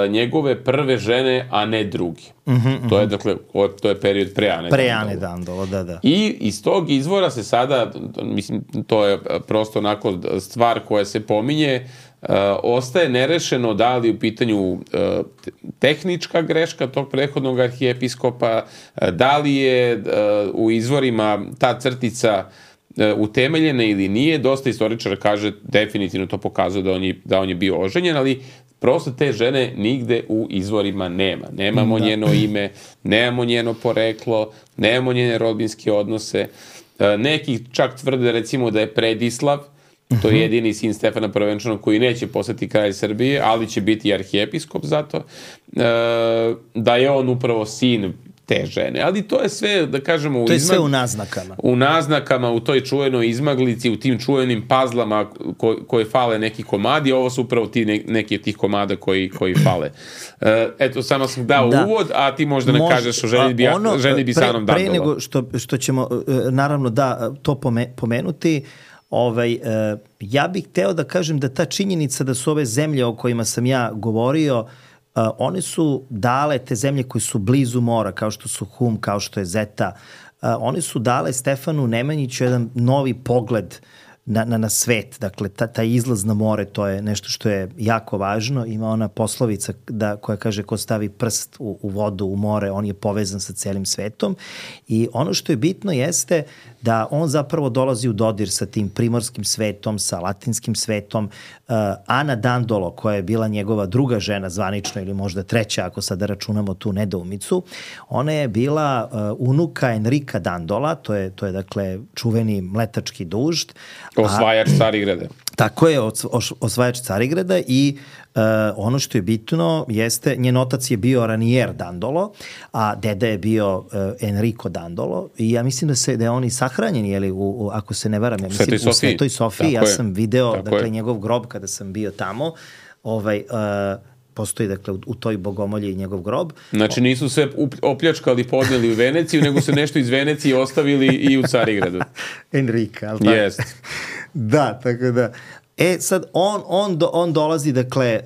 njegove prve žene, a ne drugi. Uh-huh, to je, dakle, to je period pre Ane pre Ane Dandolo, da, da. I iz tog izvora se sada, mislim, to je prosto onako stvar koja se pominje, Uh, ostaje nerešeno da li u pitanju uh, tehnička greška tog prethodnog arhijepiskopa, uh, da li je uh, u izvorima ta crtica uh, utemeljena ili nije. Dosta istoričara kaže, definitivno to pokazuje da on je, da on je bio oženjen, ali prosto te žene nigde u izvorima nema. Nemamo da. njeno ime, nemamo njeno poreklo, nemamo njene rodbinske odnose. Uh, neki čak tvrde recimo da je Predislav, to je jedini sin Stefana Prvenčanog koji neće postati kralj Srbije, ali će biti arhijepiskop zato, da je on upravo sin te žene. Ali to je sve, da kažemo... U to je izmag... sve u naznakama. U naznakama, u toj čuvenoj izmaglici, u tim čuvenim pazlama ko, koje fale neki komadi, ovo su upravo ti ne, neki od tih komada koji, koji fale. Eto, samo sam dao da. uvod, a ti možda ne Mož, kažeš o ženi bi, ono, ženi bi pre, Sanom Dandolo. Pre nego što, što ćemo, naravno, da, to pomenuti, Ovaj, e, ja bih hteo da kažem da ta činjenica da su ove zemlje o kojima sam ja govorio, e, one su dale, te zemlje koje su blizu mora, kao što su Hum, kao što je Zeta, e, one su dale Stefanu Nemanjiću jedan novi pogled na, na, na svet. Dakle, ta, ta izlaz na more, to je nešto što je jako važno. Ima ona poslovica da, koja kaže ko stavi prst u, u vodu, u more, on je povezan sa celim svetom. I ono što je bitno jeste da on zapravo dolazi u dodir sa tim primorskim svetom, sa latinskim svetom. Uh, Ana Dandolo, koja je bila njegova druga žena zvanično ili možda treća, ako sada računamo tu nedoumicu, ona je bila uh, unuka Enrika Dandola, to je, to je dakle čuveni mletački dužd. Osvajač Carigrada. Tako je, osvajač Carigrada i uh, ono što je bitno jeste, njen otac je bio Ranier Dandolo, a deda je bio uh, Enrico Dandolo i ja mislim da se da je on i sahranjen, jeli, u, u, ako se ne varam, ja mislim Svetoj u Svetoj Sofiji, ja je. sam video Tako dakle je. njegov grob kada sam bio tamo, ovaj, uh, postoji dakle u, u toj bogomolji njegov grob. Znači nisu sve opljačkali, podneli u Veneciju, nego su nešto iz Venecije ostavili i u Carigradu. Enrika, ali tako? Jest. Da, tako da. E, sad, on, on, do, on dolazi, dakle,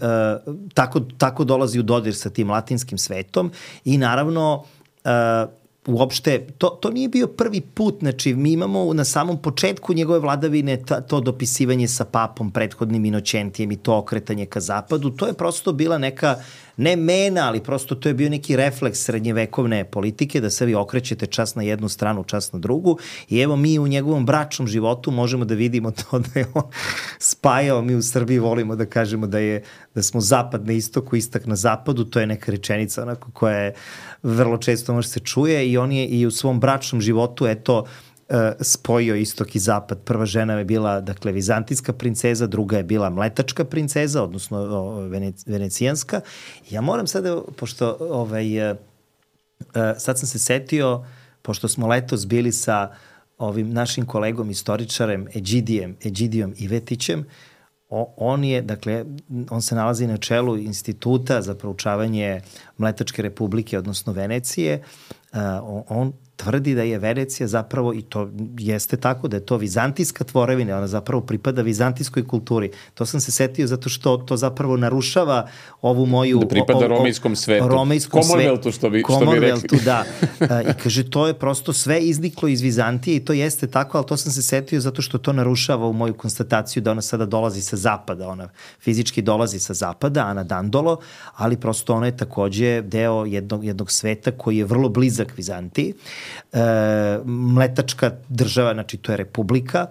uh, tako, tako dolazi u dodir sa tim latinskim svetom i naravno, uh, uopšte, to, to nije bio prvi put, znači mi imamo na samom početku njegove vladavine ta, to dopisivanje sa papom, prethodnim Inoćentijem i to okretanje ka zapadu, to je prosto bila neka, ne mena, ali prosto to je bio neki refleks srednjevekovne politike, da se vi okrećete čas na jednu stranu, čas na drugu i evo mi u njegovom bračnom životu možemo da vidimo to da je on spajao, mi u Srbiji volimo da kažemo da je da smo zapad na istoku, istak na zapadu, to je neka rečenica onako koja je vrlo često može se čuje i on je i u svom bračnom životu eto spojio istok i zapad. Prva žena je bila, dakle, vizantijska princeza, druga je bila mletačka princeza, odnosno venecijanska. Ja moram sada, pošto ovaj, sad sam se setio, pošto smo letos bili sa ovim našim kolegom istoričarem Eđidijem, Eđidijom Ivetićem, O, on je, dakle, on se nalazi na čelu instituta za proučavanje Mletačke republike, odnosno Venecije. Uh, on tvrdi da je Venecija zapravo, i to jeste tako, da je to vizantijska tvorevina, ona zapravo pripada vizantijskoj kulturi. To sam se setio zato što to zapravo narušava ovu moju... Da pripada o, o, romejskom svetu. Romejskom Commonwealthu, što bi, što bi rekli. Da. I kaže, to je prosto sve izniklo iz Vizantije i to jeste tako, ali to sam se setio zato što to narušava u moju konstataciju da ona sada dolazi sa zapada. Ona fizički dolazi sa zapada, Ana Dandolo, ali prosto ona je takođe deo jednog, jednog sveta koji je vrlo blizak Vizantiji. E, mletačka država, znači to je republika,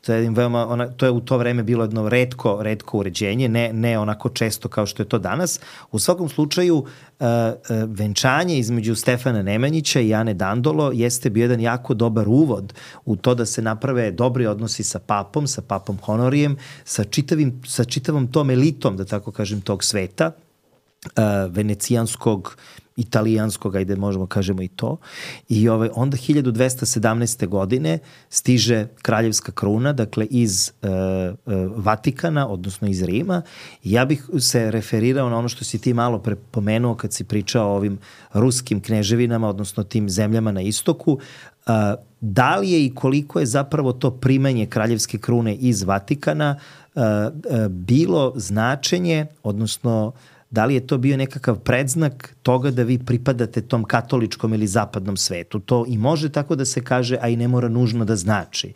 to je, veoma, ona, to je u to vreme bilo jedno retko, retko uređenje, ne, ne onako često kao što je to danas. U svakom slučaju, e, e, venčanje između Stefana Nemanjića i Ane Dandolo jeste bio jedan jako dobar uvod u to da se naprave dobri odnosi sa papom, sa papom Honorijem, sa, čitavim, sa čitavom tom elitom, da tako kažem, tog sveta. venecijanskog, italijanskog, ajde možemo kažemo i to. I ovaj, onda hiljadu dvesta sedamnaeste. godine stiže kraljevska kruna, dakle iz uh, uh, Vatikana, odnosno iz Rima. I ja bih se referirao na ono što si ti malo prepomenuo kad si pričao o ovim ruskim kneževinama, odnosno tim zemljama na istoku. Uh, da li je i koliko je zapravo to primanje kraljevske krune iz Vatikana uh, uh, bilo značenje, odnosno da li je to bio nekakav predznak toga da vi pripadate tom katoličkom ili zapadnom svetu? To i može tako da se kaže, a i ne mora nužno da znači.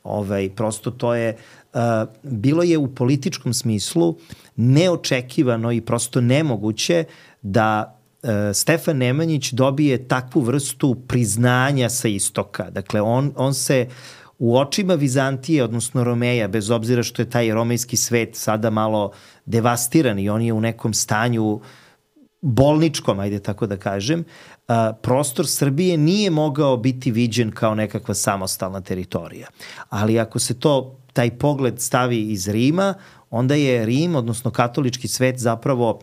Ovaj, prosto to je, uh, bilo je u političkom smislu neočekivano i prosto nemoguće da uh, Stefan Nemanjić dobije takvu vrstu priznanja sa istoka. Dakle, on, on se u očima Vizantije, odnosno Romeja, bez obzira što je taj romejski svet sada malo devastiran i on je u nekom stanju bolničkom, ajde tako da kažem, prostor Srbije nije mogao biti viđen kao nekakva samostalna teritorija. Ali ako se to, taj pogled stavi iz Rima, onda je Rim, odnosno katolički svet, zapravo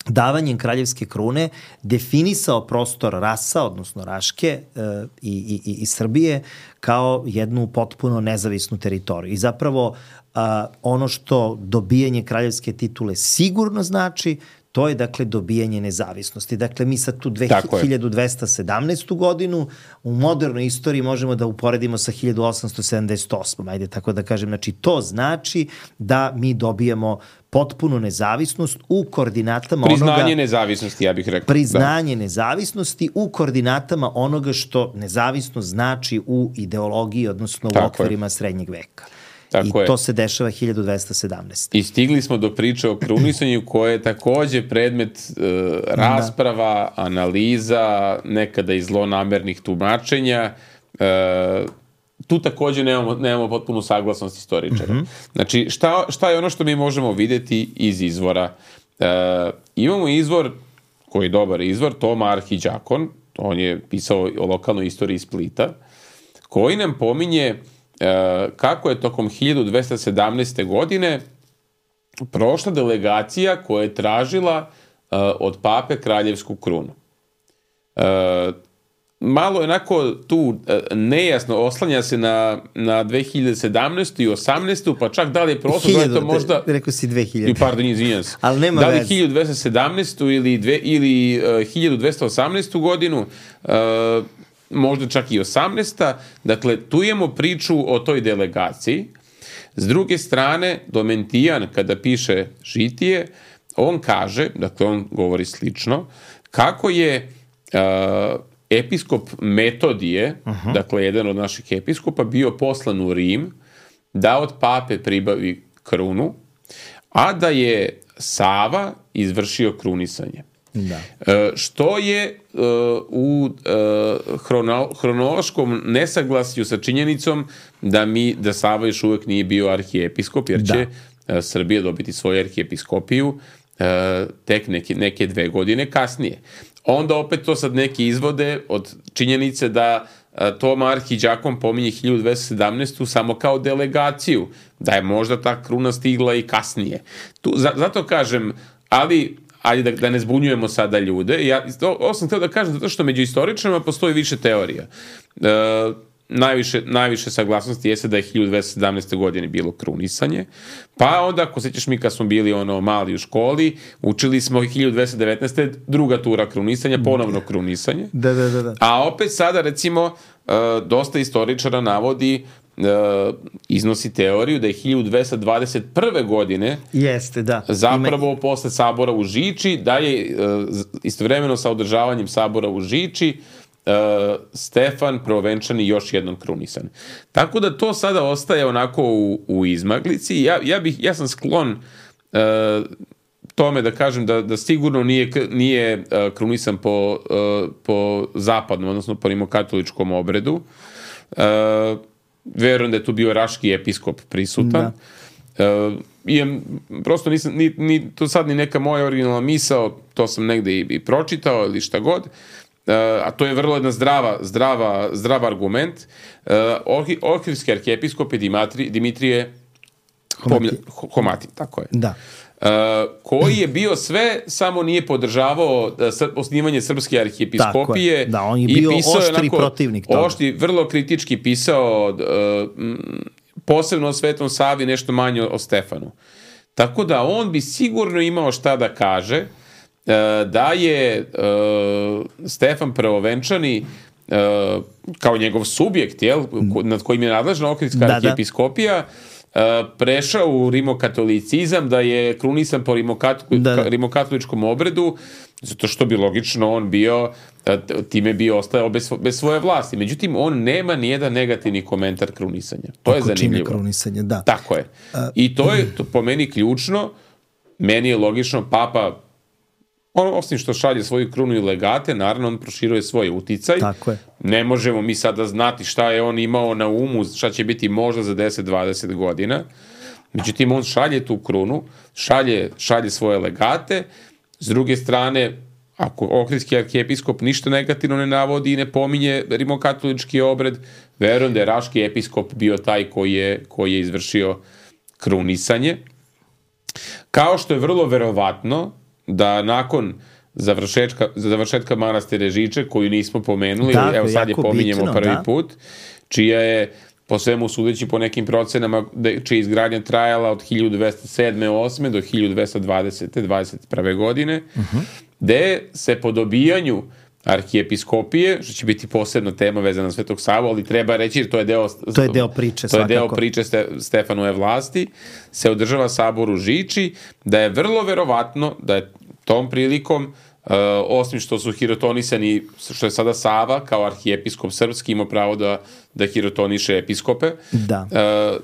davanjem kraljevske krune definisao prostor Rasa, odnosno Raške e, i, i, i Srbije kao jednu potpuno nezavisnu teritoriju. I zapravo a, ono što dobijanje kraljevske titule sigurno znači, to je dakle dobijanje nezavisnosti. Dakle, mi sad tu hiljadu dvesta sedamnaestu. godinu u modernoj istoriji možemo da uporedimo sa hiljadu osamsto sedamdeset osmom. Ajde tako da kažem. Znači, to znači da mi dobijamo potpunu nezavisnost u koordinatama priznanje onoga... Priznanje nezavisnosti, ja bih rekao. Priznanje da. nezavisnosti u koordinatama onoga što nezavisnost znači u ideologiji, odnosno tako u okvirima je. srednjeg veka. Tako I je. to se dešava hiljadu dvesta sedamnaeste. I stigli smo do priče o krunisanju koje je takođe predmet e, rasprava, da. analiza, nekada i zlonamernih tumačenja. E, tu takođe nemamo, nemamo potpunu saglasnost istoričara. Mm-hmm. Znači, šta, šta je ono što mi možemo videti iz izvora? E, imamo izvor, koji je dobar izvor, Toma Arhiđakon, on je pisao o lokalnoj istoriji Splita, koji nam pominje E, kako je tokom hiljadu dvesta sedamnaeste. godine prošla delegacija koja je tražila e, od pape kraljevsku krunu. E, malo je onako tu e, nejasno, oslanja se na, na dve hiljade sedamnaestu. i osamnaestu. pa čak da li je prošlo, da je to možda... Rekao si dve hiljade. Pardon, izvinjam se. Ali nema da li veze. hiljadu dvesta sedamnaestu. ili, dve, ili uh, hiljadu dvesta osamnaestu. godinu, uh, možda čak i osamnaesta. Dakle, tu imamo priču o toj delegaciji. S druge strane, Domentijan, kada piše Žitije, on kaže, dakle, on govori slično, kako je uh, episkop Metodije, uh-huh. dakle, jedan od naših episkopa, bio poslan u Rim da od pape pribavi krunu, a da je Sava izvršio krunisanje. Da. E, što je uh, u uh, hrono, hronološkom nesaglasju sa činjenicom da mi da Sava još uvek nije bio arhijepiskop, jer da. će uh, Srbija dobiti svoju arhijepiskopiju uh, tek neke, neke dve godine kasnije. Onda opet to sad neki izvode od činjenice da uh, Toma Arhiđakon pominje hiljadu dvesta sedamnaestu. samo kao delegaciju, da je možda ta kruna stigla i kasnije. Tu, za, zato kažem, ali ajde da, da ne zbunjujemo sada ljude. Ja, ovo sam htio da kažem zato što među istoričarima postoji više teorija. E, najviše, najviše saglasnosti jeste da je hiljadu dvesta sedamnaeste. godine bilo krunisanje, pa onda, ako sećaš mi kad smo bili ono mali u školi, učili smo hiljadu dvesta devetnaeste. druga tura krunisanja, ponovno krunisanje. Da, da, da, da. A opet sada, recimo, e, dosta istoričara navodi Uh, iznosi teoriju da je hiljadu dvesta dvadeset prve. godine Jeste, da. zapravo Ima... posle sabora u Žiči, da je uh, istovremeno sa održavanjem sabora u Žiči uh, Stefan prvovenčani još jednom krunisan. Tako da to sada ostaje onako u, u izmaglici. Ja, ja, bih, ja sam sklon uh, tome da kažem da, da sigurno nije, nije uh, krunisan po, uh, po zapadnom, odnosno po rimokatoličkom obredu. Uh, verujem da je tu bio raški episkop prisutan. Da. Uh, i, prosto nisam, ni, ni, to sad ni neka moja originalna misao, to sam negde i, i pročitao ili šta god, uh, a to je vrlo jedna zdrava, zdrava, zdrav argument. Uh, Ohridski arhijepiskop je Dimitri, Dimitrije Homati. Homati, tako je. Da. Uh, koji je bio sve, samo nije podržavao uh, osnivanje Srpske arhijepiskopije. Da, on je bio oštri onako, protivnik toga. Oštri, vrlo kritički pisao uh, posebno o Svetom Savi, nešto manje o Stefanu. Tako da on bi sigurno imao šta da kaže uh, da je uh, Stefan Prvovenčani uh, kao njegov subjekt, jel, nad kojim je nadležna Ohridska da, arhijepiskopija, da. prešao u rimokatolicizam, da je krunisan po rimokatoličkom da. rimokatoličkom obredu, zato što bi logično on bio, time bi ostao bez, bez svoje vlasti. Međutim, on nema nijedan negativni komentar krunisanja. To je zanimljivo. Krunisanja, da. Tako je. I to je to po meni ključno. Meni je logično, papa, on, osim što šalje svoju krunu i legate, naravno on proširuje svoj uticaj. Tako je. Ne možemo mi sada znati šta je on imao na umu, šta će biti možda za deset do dvadeset godina. Međutim, on šalje tu krunu, šalje, šalje svoje legate. S druge strane, ako Ohridski arhijepiskop ništa negativno ne navodi i ne pominje rimokatolički obred, verujem da je Raški episkop bio taj koji je, koji je izvršio krunisanje. Kao što je vrlo verovatno da nakon završetka, završetka manastire Žiče, koju nismo pomenuli, dakle, evo sad je pominjemo bitno, prvi da. put, čija je, po svemu sudeći po nekim procenama, čija je izgradnja trajala od hiljadu dvesta sedme osme do hiljadu dvesta dvadesete dvadeset prve godine, uh-huh. gde se po dobijanju arhijepiskopije, što će biti posebna tema vezana na Svetog Savu, ali treba reći, jer to je deo, to je deo priče, to svakako. je deo priče Ste, Stefanove vlasti, se održava sabor u Žiči, da je vrlo verovatno da je tom prilikom, uh, osim što su hirotonisani, što je sada Sava kao arhijepiskop srpski imao pravo da, da hirotoniše episkope, da. Uh,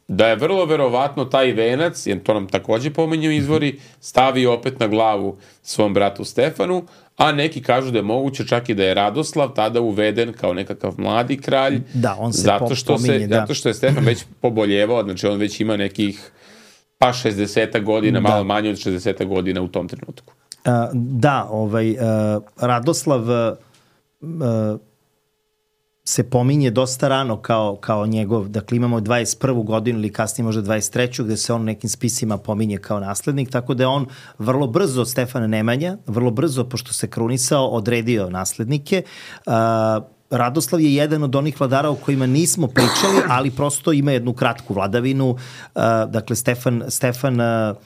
da je vrlo verovatno taj venac, jer to nam takođe pominju izvori, stavi opet na glavu svom bratu Stefanu, a neki kažu da je moguće čak i da je Radoslav tada uveden kao nekakav mladi kralj, da, on se zato što, pominje, se, da. zato što je Stefan već poboljevao, znači on već ima nekih pa šezdeset godina, da. malo manje od šezdeset godina u tom trenutku. Uh, da, ovaj, uh, Radoslav uh, se pominje dosta rano kao, kao njegov, dakle imamo dvadeset prvu godinu ili kasnije možda dvadeset treću gde se on nekim spisima pominje kao naslednik, tako da je on vrlo brzo od Stefana Nemanja, vrlo brzo, pošto se krunisao, odredio naslednike. Uh, Radoslav je jedan od onih vladara o kojima nismo pričali, ali prosto ima jednu kratku vladavinu. Uh, dakle, Stefan, Stefan uh,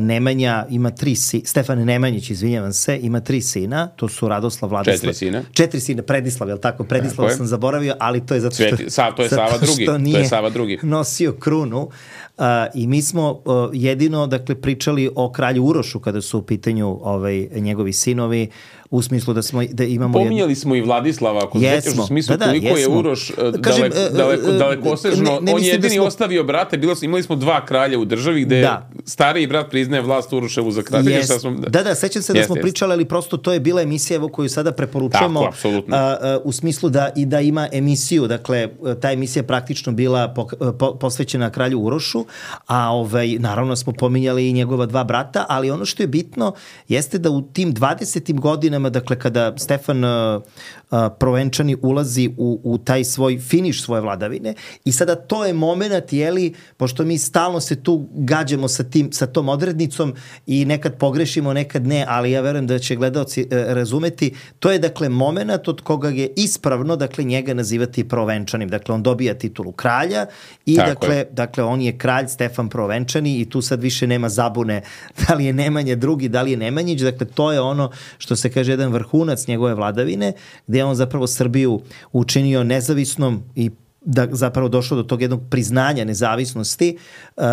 Nemanja ima tri sina, Stefan Nemanjić, izvinjavam se, ima tri sina, to su Radoslav, Vladislav. Četiri sina. Četiri sina, Predislav, je li tako? Predislav sam zaboravio, ali to je zato što, Sveti, sa, to je Sava drugi, to je Sava drugi. Nosio krunu. Uh, I mi smo uh, jedino, dakle, pričali o kralju Urošu kada su u pitanju ovaj, njegovi sinovi, u smislu da smo da imamo pominjali jedno... smo i Vladislava, ako sećaš, u smislu da, da, koliko jesmo. je Uroš Kažem, daleko, daleko, dalekosežno, ne, ne on je jedini da smo... ostavio brate, bilo, imali smo dva kralja u državi gde da. stariji brat priznaje vlast Uroševu za kralja. Yes. Smo... Da, da, sećam se da yes, smo yes. pričali, ali prosto to je bila emisija koju sada preporučujemo. Tako, apsolutno. A, a, u smislu da i da ima emisiju, dakle, ta emisija praktično bila po, po, posvećena kralju Urošu, a ovaj, naravno smo pominjali i njegova dva brata, ali ono što je bitno jeste da u tim dvadesetim godinama, dakle kada Stefan uh, uh, Provenčani ulazi u, u taj svoj finiš svoje vladavine i sada to je moment, jeli, pošto mi stalno se tu gađamo sa, tim, sa tom odrednicom i nekad pogrešimo, nekad ne, ali ja verujem da će gledaoci uh, razumeti, to je dakle moment od koga je ispravno, dakle, njega nazivati Provenčanim. Dakle, on dobija titulu kralja i dakle, dakle, on je kralj Stefan Provenčani i tu sad više nema zabune da li je Nemanja drugi, da li je Nemanjić, dakle, to je ono što se kaže jedan vrhunac njegove vladavine, gde je on zapravo Srbiju učinio nezavisnom i da zapravo došlo do tog jednog priznanja nezavisnosti, uh,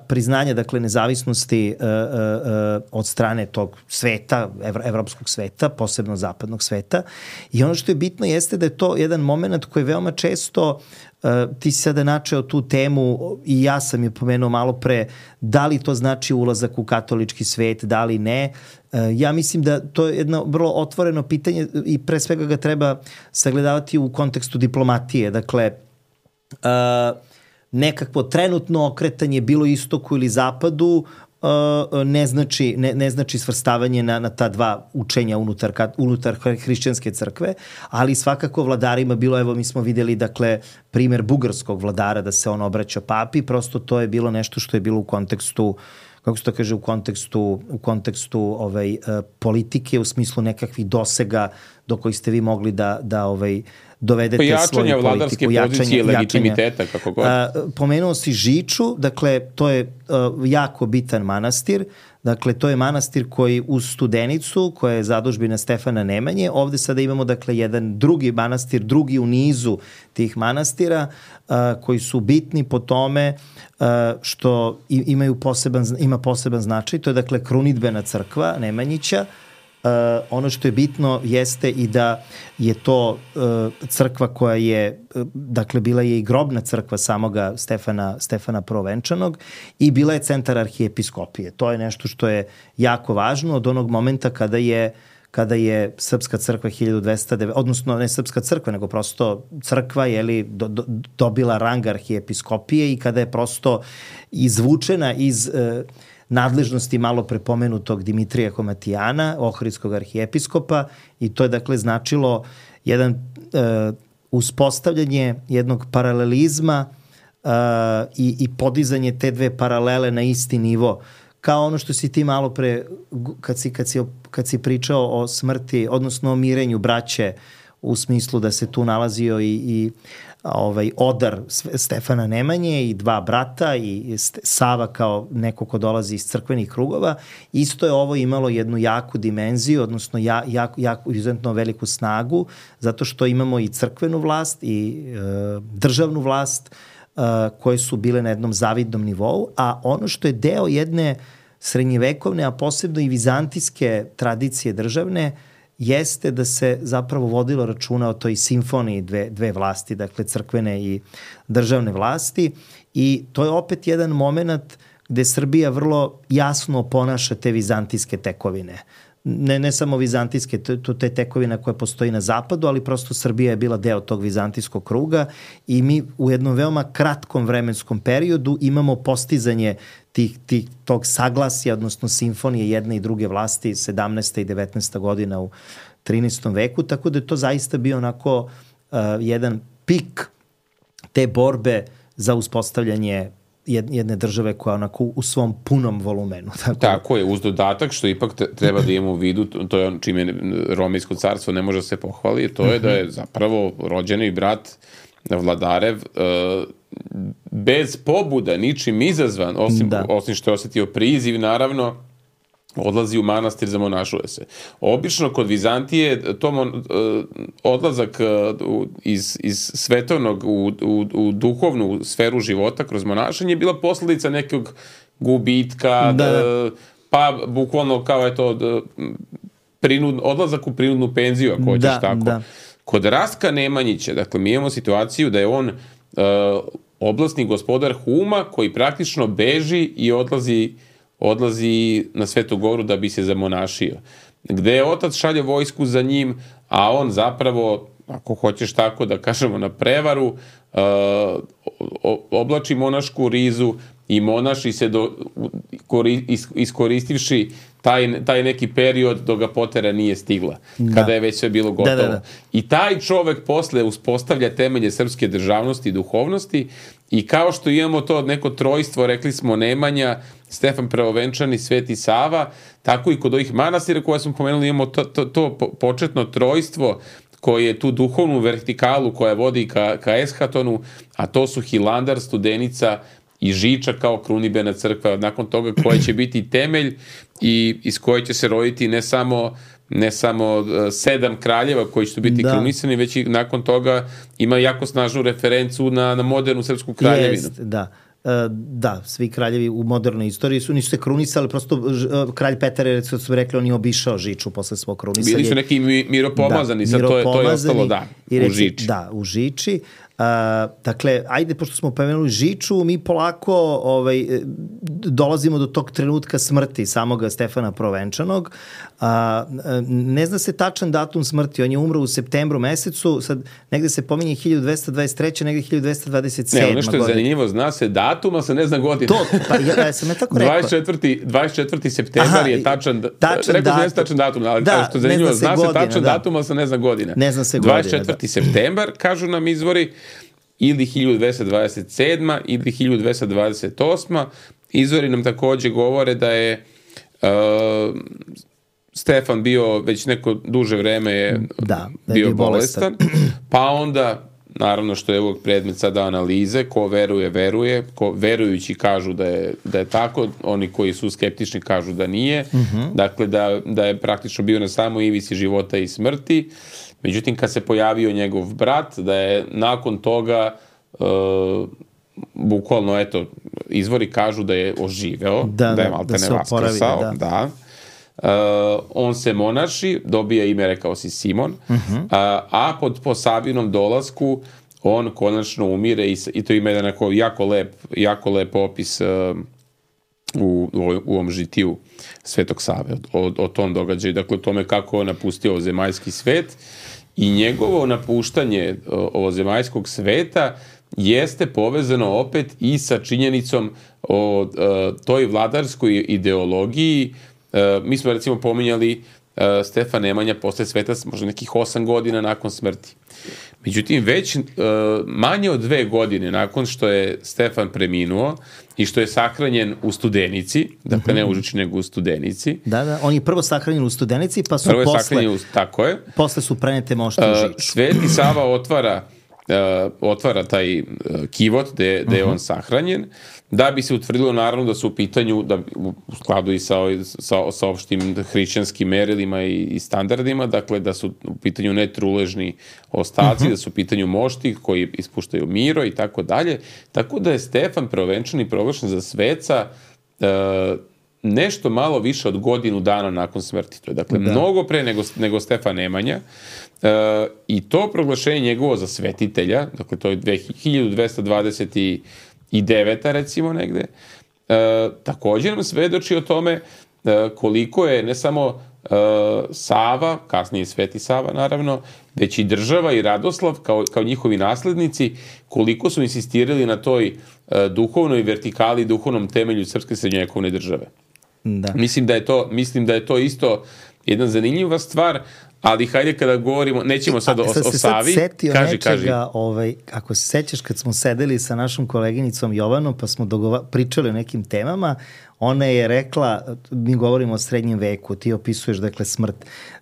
priznanja, dakle, nezavisnosti uh, uh, od strane tog sveta, evro, evropskog sveta, posebno zapadnog sveta. I ono što je bitno jeste da je to jedan moment koji veoma često Uh, ti si sada načeo tu temu i ja sam je pomenuo malo pre, da li to znači ulazak u katolički svet, da li ne. Uh, ja mislim da to je jedno vrlo otvoreno pitanje i pre svega ga treba sagledavati u kontekstu diplomatije. Dakle, uh, nekakvo trenutno okretanje bilo istoku ili zapadu Uh, ne znači ne, ne znači svrstavanje na, na ta dva učenja unutar, unutar hrišćanske crkve, ali svakako vladarima bilo, evo mi smo videli, dakle, primer bugarskog vladara da se on obraća papi, prosto to je bilo nešto što je bilo u kontekstu kako se to kaže, u kontekstu, u kontekstu ovaj, politike, u smislu nekakvih dosega do kojih ste vi mogli da, da ovaj, dovedete jačanja svoju politiku. Vladarske pozicije, legitimiteta, kako god. A, pomenuo si Žiču, dakle, to je a, jako bitan manastir. Dakle, to je manastir koji uz Studenicu, koja je zadužbina Stefana Nemanje, ovde sada imamo, dakle, jedan drugi manastir, drugi u nizu tih manastira, a, koji su bitni po tome a, što imaju poseban, ima poseban značaj. To je, dakle, krunidbena crkva Nemanjića. Uh, ono što je bitno jeste i da je to uh, crkva koja je, uh, dakle, bila je i grobna crkva samoga Stefana, Stefana Prvovenčanog i bila je centar arhijepiskopije. To je nešto što je jako važno od onog momenta kada je kada je Srpska crkva hiljadu dvesta devet, odnosno ne Srpska crkva, nego prosto crkva je li do, do, dobila rang arhijepiskopije i kada je prosto izvučena iz uh, nadležnosti malo prepomenutog Dimitrija Komatijana, ohridskog arhijepiskopa, i to je, dakle, značilo jedan uh, uspostavljanje jednog paralelizma uh, i, i podizanje te dve paralele na isti nivo. Kao ono što si ti malo pre, kad si, kad si, kad si pričao o smrti, odnosno o mirenju braće, u smislu da se tu nalazio i, i ovaj odar Stefana Nemanje i dva brata i Sava kao neko ko dolazi iz crkvenih krugova. Isto je ovo imalo jednu jaku dimenziju, odnosno ja, jako, jako izuzetno veliku snagu, zato što imamo i crkvenu vlast i e, državnu vlast e, koje su bile na jednom zavidnom nivou, a ono što je deo jedne srednjevekovne, a posebno i vizantijske tradicije državne, jeste da se zapravo vodilo računa o toj simfoniji dve, dve vlasti, dakle crkvene i državne vlasti, i to je opet jedan moment gde Srbija vrlo jasno ponaša te vizantijske tekovine. Ne, ne samo vizantijske, to te tekovina koja postoji na zapadu, ali prosto Srbija je bila deo tog vizantijskog kruga i mi u jednom veoma kratkom vremenskom periodu imamo postizanje tih, tih, tog saglasja, odnosno simfonije jedne i druge vlasti sedamnaesta i devetnaesta godina u trinaestom veku, tako da je to zaista bio onako uh, jedan pik te borbe za uspostavljanje jedne države koja onako u svom punom volumenu. Tako, tako je, uz dodatak što ipak treba da imamo u vidu, to je on čime Romejsko carstvo ne može se pohvali, to je da je zapravo rođeni brat Vladarev bez pobuda, ničim izazvan, osim, da. osim što je osetio priziv, naravno, odlazi u manastir, zamonašuje se. Obično kod Vizantije to mon, odlazak iz, iz svetovnog u, u, u duhovnu sferu života kroz monašanje je bila posledica nekog gubitka, da. pa bukvalno kao je to prinud, odlazak u prinudnu penziju, ako hoćeš da, tako. Da. Kod Rastka Nemanjića, dakle, mi imamo situaciju da je on uh, oblastni gospodar Huma koji praktično beži i odlazi odlazi na Svetu Goru da bi se zamonašio. Gde je otac šalje vojsku za njim, a on zapravo, ako hoćeš tako da kažemo, na prevaru, uh, oblači monašku rizu i monaši se do, kori, is, iskoristivši taj, taj neki period dok ga potera nije stigla, da. Kada je već sve bilo gotovo. Da, da, da. I taj čovek posle uspostavlja temelje srpske državnosti i duhovnosti, i kao što imamo to neko trojstvo, rekli smo Nemanja, Stefan Prvovenčan i Sveti Sava, tako i kod ovih manastira koje smo pomenuli imamo to, to, to početno trojstvo koje je tu duhovnu vertikalu koja vodi ka, ka Eshatonu, a to su Hilandar, Studenica i Žiča kao krunidbena crkva, nakon toga koja će biti temelj i iz koje će se roditi ne samo ne samo sedam kraljeva koji će biti da. krunisani, već i nakon toga ima jako snažnu referencu na, na modernu srpsku kraljevinu. Jest, da. Da, svi kraljevi u modernoj istoriji su, nisu se krunisali, prosto kralj Petar je, recimo su rekli, on je obišao Žiču posle svog krunisanja. Bili su neki miropomazani, da, sad to je, to je ostalo, da, u Žiči. Da, u Žiči. Uh, dakle, ajde, pošto smo pomenuli Žiču, mi polako ovaj, dolazimo do tog trenutka smrti samoga Stefana Prvovenčanog. Uh, ne zna se tačan datum smrti, on je umro u septembru mesecu, sad negde se pominje hiljadu dvesta dvadeset treća, negde hiljadu dvesta dvadeset sedma. Ne, nešto je zanimljivo, zna se datum, ali se ne zna godina. To, pa ja, ja sam je tako rekao. dvadeset četvrti septembar je tačan, tačan rekao datum. Se ne tačan datum, ali da, što je zanimljivo, zna, zna se godina, tačan da. datum, ali se ne zna godina. Ne zna se godina, dvadeset četvrti septembar, kažu nam izvori, ili hiljadu dvesta dvadeset sedma ili hiljadu dvesta dvadeset osma izvori nam takođe govore da je uh, Stefan bio već neko duže vreme je da, da bio je bolestan, pa onda naravno što je ovog predmet sada analize, ko veruje, veruje, ko verujući kažu da je, da je tako, oni koji su skeptični kažu da nije, uh-huh. dakle da, da je praktično bio na samoj ivici života i smrti. Međutim, kad se pojavio njegov brat, da je nakon toga uh, bukvalno, eto, izvori kažu da je oživeo, da, da je malte da ne vaskrsao, da. da. Uh, on se monaši, dobija ime, rekao si, Simon, uh-huh. a, a pod po Savinom dolasku on konačno umire i, i to ima jedan jako lep, jako lep opis uh, u, u, u ovom žitiju Svetog Save, o, o tom događaju, dakle o tome kako on napustio ovozemaljski svet i njegovo napuštanje ovozemaljskog sveta jeste povezano opet i sa činjenicom o uh, toj vladarskoj ideologiji. Uh, mi smo recimo pominjali uh, Stefan Nemanja posle sveta možda nekih osam godina nakon smrti. Međutim, već uh, manje od dve godine nakon što je Stefan preminuo i što je sahranjen u Studenici, dakle ne u Užiču nego u Studenici. Da, da, on je prvo sahranjen u Studenici, pa su prvo je posle, sahranjen u, tako je. Posle su prenete mošti u Žiču. Uh, Sveti Sava otvara Uh, otvara taj uh, kivot gde, gde je on sahranjen, da bi se utvrdilo naravno da su u pitanju, da u skladu i sa, sa, sa opštim hrišćanskim merilima i, i standardima, dakle da su u pitanju netruležni ostaci, uh-huh. da su u pitanju mošti koji ispuštaju miro i tako dalje. Tako da je Stefan Prvovenčani proglašen za sveca uh, nešto malo više od godinu dana nakon smrti. To je dakle da. mnogo pre nego, nego Stefan Nemanja. Uh, i to proglašenje njegovo za svetitelja, dakle to je hiljadu dvesta dvadeset deveta recimo negde, uh, također nam svedoči o tome uh, koliko je ne samo uh, Sava, kasnije Sveti Sava naravno, već i država i Radoslav kao, kao njihovi naslednici, koliko su insistirali na toj uh, duhovnoj vertikali, duhovnom temelju srpske srednjovekovne države. Da. Mislim da je to, mislim da je to isto jedna zanimljiva stvar, ali hajde kada govorimo, nećemo sad, a, sad o, o Savi. Sad setio kaži, nečega, kaži. ovaj, ako se sećaš kad smo sedeli sa našom koleginicom Jovanom, pa smo dogova, pričali o nekim temama, ona je rekla, mi govorimo o srednjem veku, ti opisuješ dakle smrt,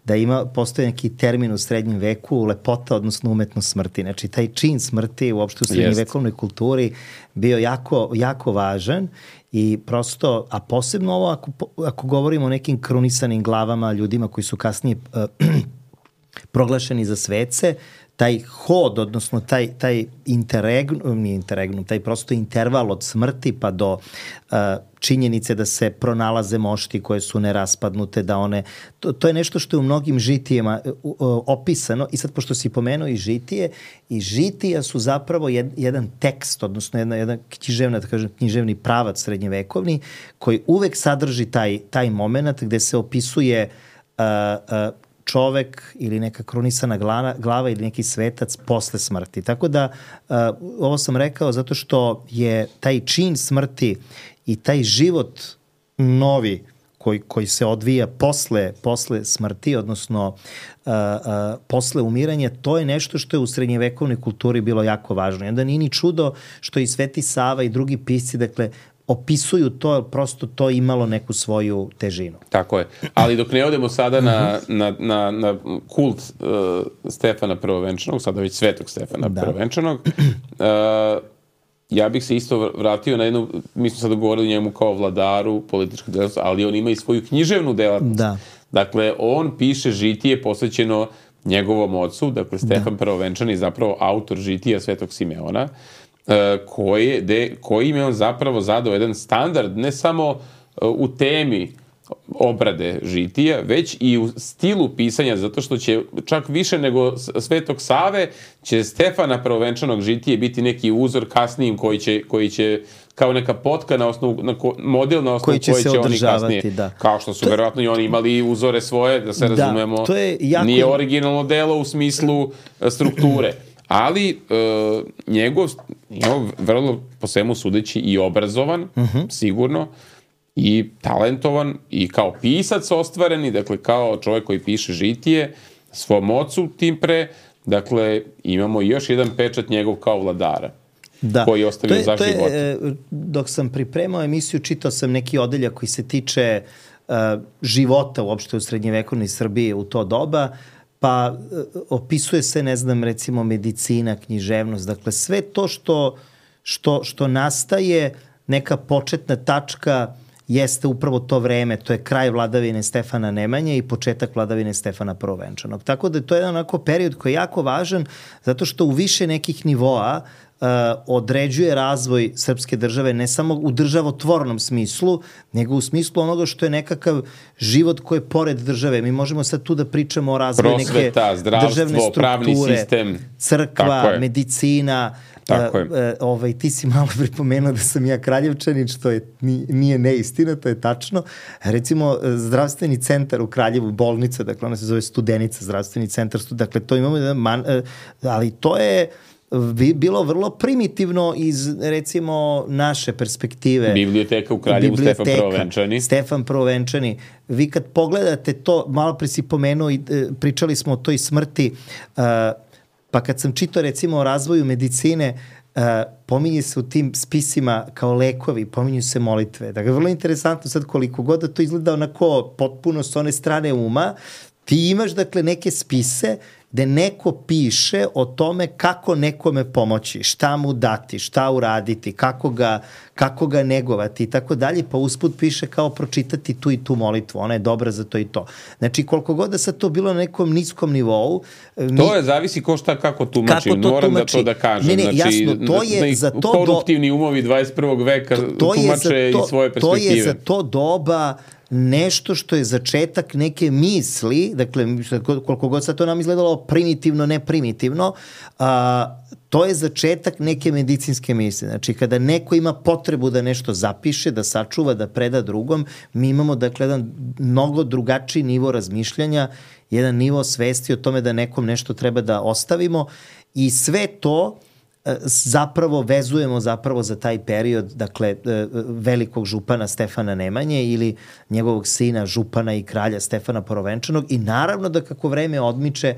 da ima, postoji neki termin u srednjem veku, lepota, odnosno umetnost smrti. Znači, taj čin smrti uopšte u srednjevekovnoj kulturi bio jako, jako važan i prosto, a posebno ovo ako, ako govorimo o nekim krunisanim glavama, ljudima koji su kasnije uh, proglašeni za svece, taj hod, odnosno taj, taj interregnum, nije interregnum, taj prosto interval od smrti pa do uh, činjenice da se pronalaze mošti koje su neraspadnute, da one, to, to je nešto što je u mnogim žitijama uh, uh, opisano i sad pošto si pomenuo i žitije, i žitija su zapravo jed, jedan tekst, odnosno jedna, jedan književna, da kažem, književni pravac srednjevekovni koji uvek sadrži taj, taj moment gde se opisuje uh, uh, čovek ili neka krunisana glava, glava ili neki svetac posle smrti. Tako da, uh, ovo sam rekao zato što je taj čin smrti i taj život novi koji, koji se odvija posle, posle smrti, odnosno uh, uh, posle umiranja, to je nešto što je u srednjevekovnoj kulturi bilo jako važno. I onda nije ni čudo što i Sveti Sava i drugi pisci, dakle, opisuju to, prosto to imalo neku svoju težinu. Tako je. Ali dok ne odemo sada na, na, na, na kult uh, Stefana Prvovenčanog, sada već Svetog Stefana da. Prvovenčanog, uh, ja bih se isto vratio na jednu, mi smo sada govorili njemu kao vladaru političkog delatnosti, ali on ima i svoju književnu delatnost. Da. Dakle, on piše žitije posvećeno njegovom ocu, dakle Stefan da. Prvovenčani je zapravo autor žitija Svetog Simeona, Koji, de, kojim je on zapravo zadao jedan standard, ne samo u temi obrade žitija, već i u stilu pisanja, zato što će čak više nego Svetog Save, će Stefana Prvovenčanog žitije biti neki uzor kasnijim koji će, koji će kao neka potka na osnovu, na ko, model na osnovu koji će, koji će oni kasnije, da. Kao što su to verovatno i oni imali uzore svoje, da se da, razumemo, to je jako... nije originalno delo u smislu strukture. Ali uh, njegov, njegov vrlo po svemu sudeći i obrazovan, uh-huh. sigurno, i talentovan, i kao pisac ostvareni, dakle kao čovjek koji piše žitije svom ocu tim pre, dakle imamo još jedan pečat njegov kao vladara. da. koji je ostavio to je, za to života. Je, dok sam pripremao emisiju, čitao sam neki odeljak koji se tiče uh, života uopšte u srednjevekovnoj Srbiji u to doba, pa uh, opisuje se, ne znam, recimo medicina, književnost, dakle sve to što, što, što nastaje, neka početna tačka jeste upravo to vreme, to je kraj vladavine Stefana Nemanje i početak vladavine Stefana Prvovenčanog. Tako da to je jedan onako period koji je jako važan, zato što u više nekih nivoa uh, određuje razvoj srpske države, ne samo u državotvornom smislu, nego u smislu onoga što je nekakav život koji je pored države. Mi možemo sad tu da pričamo o razvoju prosveta, neke državne strukture, pravni sistem, crkva, medicina. Tako je. Uh, ovaj, ti si malo pripomenuo da sam ja Kraljevčanin, što je, nije neistina, to je tačno. Recimo, zdravstveni centar u Kraljevu, bolnica, dakle ona se zove Studenica, zdravstveni centar, dakle to imamo, man, ali to je bilo vrlo primitivno iz, recimo, naše perspektive. Biblioteka u Kraljevu, Biblioteka, Stefan Prvovenčani. Stefan Prvovenčani. Vi kad pogledate to, malo pre si pomenuo i pričali smo o toj smrti, uh, pa kad sam čitao recimo o razvoju medicine, uh, pominje se u tim spisima kao lekovi, pominju se molitve. Dakle, vrlo interesantno sad koliko god da to izgleda onako potpuno s one strane uma, ti imaš dakle neke spise gde neko piše o tome kako nekome pomoći, šta mu dati, šta uraditi, kako ga, kako ga negovati i tako dalje, pa usput piše kao pročitati tu i tu molitvu, ona je dobra za to i to. Znači, koliko god da sad to bilo na nekom niskom nivou... Mi, to je, zavisi ko šta kako tumači, kako to moram tumači. Da to da kažem. Ne, ne, znači, jasno, to je na, za to... Koruptivni do... umovi dvadeset prvog veka to, to tumače to, i svoje perspektive. To je za to doba nešto što je začetak neke misli, dakle, koliko god sad to nam izgledalo primitivno, ne primitivno, a, to je začetak neke medicinske misli. Znači, kada neko ima potrebu da nešto zapiše, da sačuva, da preda drugom, mi imamo, dakle, jedan mnogo drugačiji nivo razmišljanja, jedan nivo svesti o tome da nekom nešto treba da ostavimo i sve to zapravo vezujemo zapravo za taj period, dakle, velikog župana Stefana Nemanje ili njegovog sina župana i kralja Stefana Prvovenčanog i naravno da kako vreme odmiče,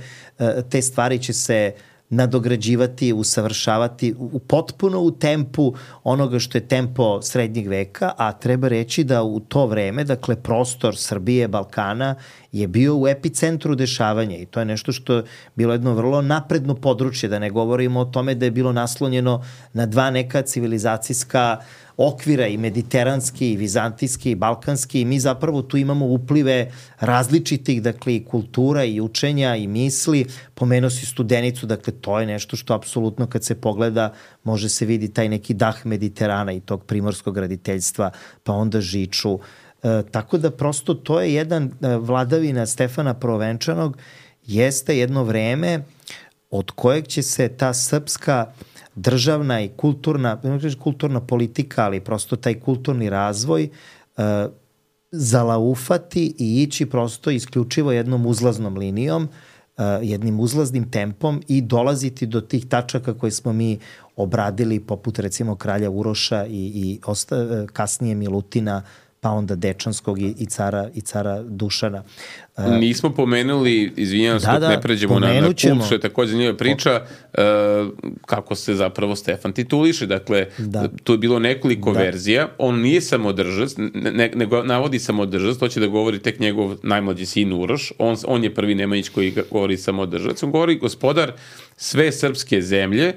te stvari će se nadograđivati, usavršavati u, potpuno u tempu onoga što je tempo srednjeg veka, a treba reći da u to vreme, dakle, prostor Srbije, Balkana je bio u epicentru dešavanja i to je nešto što je bilo jedno vrlo napredno područje, da ne govorimo o tome da je bilo naslonjeno na dva neka civilizacijska okvira, i mediteranski, i vizantijski, i balkanski, i mi zapravo tu imamo uplive različitih, dakle, i kultura, i učenja, i misli. Pomenuo si Studenicu, dakle, to je nešto što apsolutno kad se pogleda može se vidi taj neki dah Mediterana i tog primorskog graditeljstva, pa onda Žiču. E, tako da prosto to je jedan e, vladavina Stefana Prvovenčanog, jeste jedno vreme od kojeg će se ta srpska državna i kulturna, ne kažem kulturna politika, ali prosto taj kulturni razvoj uh, zalaufati i ići prosto isključivo jednom uzlaznom linijom, uh, jednim uzlaznim tempom i dolaziti do tih tačaka koje smo mi obradili, poput recimo kralja Uroša i, i osta, uh, kasnije Milutina, pa onda Dečanskog i, i, cara, i cara Dušana. Uh, Nismo pomenuli, izvinjavam se, da, ne pređemo na, na kult, što je takođe zanimljiva priča, uh, kako se zapravo Stefan tituliše. Dakle, da. Tu je bilo nekoliko da. verzija. On nije samodržac, ne, nego navodi samodržac, to će da govori tek njegov najmlađi sin Uroš. On, on je prvi Nemanjić koji govori samodržac. On govori gospodar sve srpske zemlje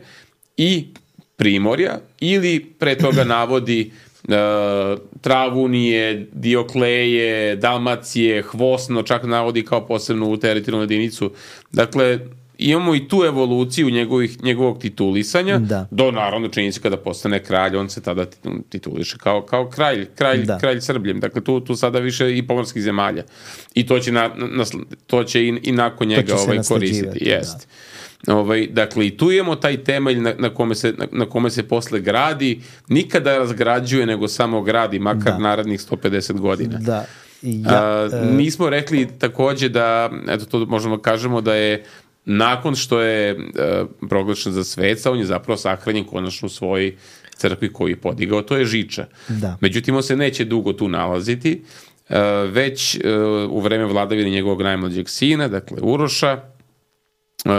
i Primorja, ili pre toga navodi Uh, Travunije, Diokleje, Dalmacije, Hvosno, čak navodi kao posebnu teritorijalnu jedinicu. Dakle, imamo i tu evoluciju njegovih, njegovog titulisanja, da. Do naravno činjenice kada postane kralj, on se tada tituliše kao, kao kralj, kralj, da. kralj Srbljem. Dakle, tu, tu sada više i pomorskih zemalja. I to će, na, na, to će i, i nakon njega ovaj, koristiti. Jest. Da. Ovaj, dakle, i tu imamo taj temelj na, na, kome se, na, na kome se posle gradi, nikada razgrađuje, nego samo gradi, makar da. narednih sto pedeset godina. Da. Ja, A, e... Nismo rekli takođe da, eto to možemo kažemo da je nakon što je e, proglašen za sveca, on je zapravo sahranjen konačno u svojoj crkvi koju je podigao, to je Žiča. Da. Međutim, on se neće dugo tu nalaziti, e, već e, u vreme vladavine njegovog najmlađeg sina, dakle Uroša, Uh,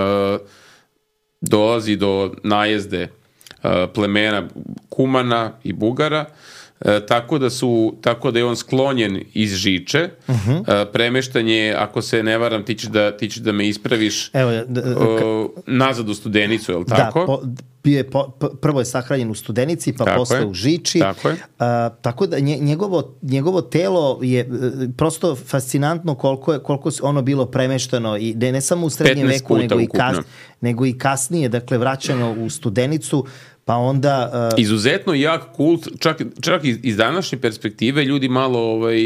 dolazi do najezde uh, plemena Kumana i Bugara, E, tako da su tako da je on sklonjen iz Žiče. Uh-huh. E, premeštanje, ako se ne varam, ti ćeš da, ti ćeš da me ispraviš, Evo, da, da, o, nazad u Studenicu, je li tako? Da, po, je po, prvo je sahranjen u Studenici, pa tako posle je. u Žiči. Tako je. A, tako da njegovo, njegovo telo je prosto fascinantno koliko je koliko ono bilo premešteno i ne, ne samo u srednjem veku, nego i, kas, nego i kasnije, dakle vraćano u Studenicu. Pa onda... Uh... Izuzetno jak kult, čak, čak iz današnje perspektive ljudi malo ovaj,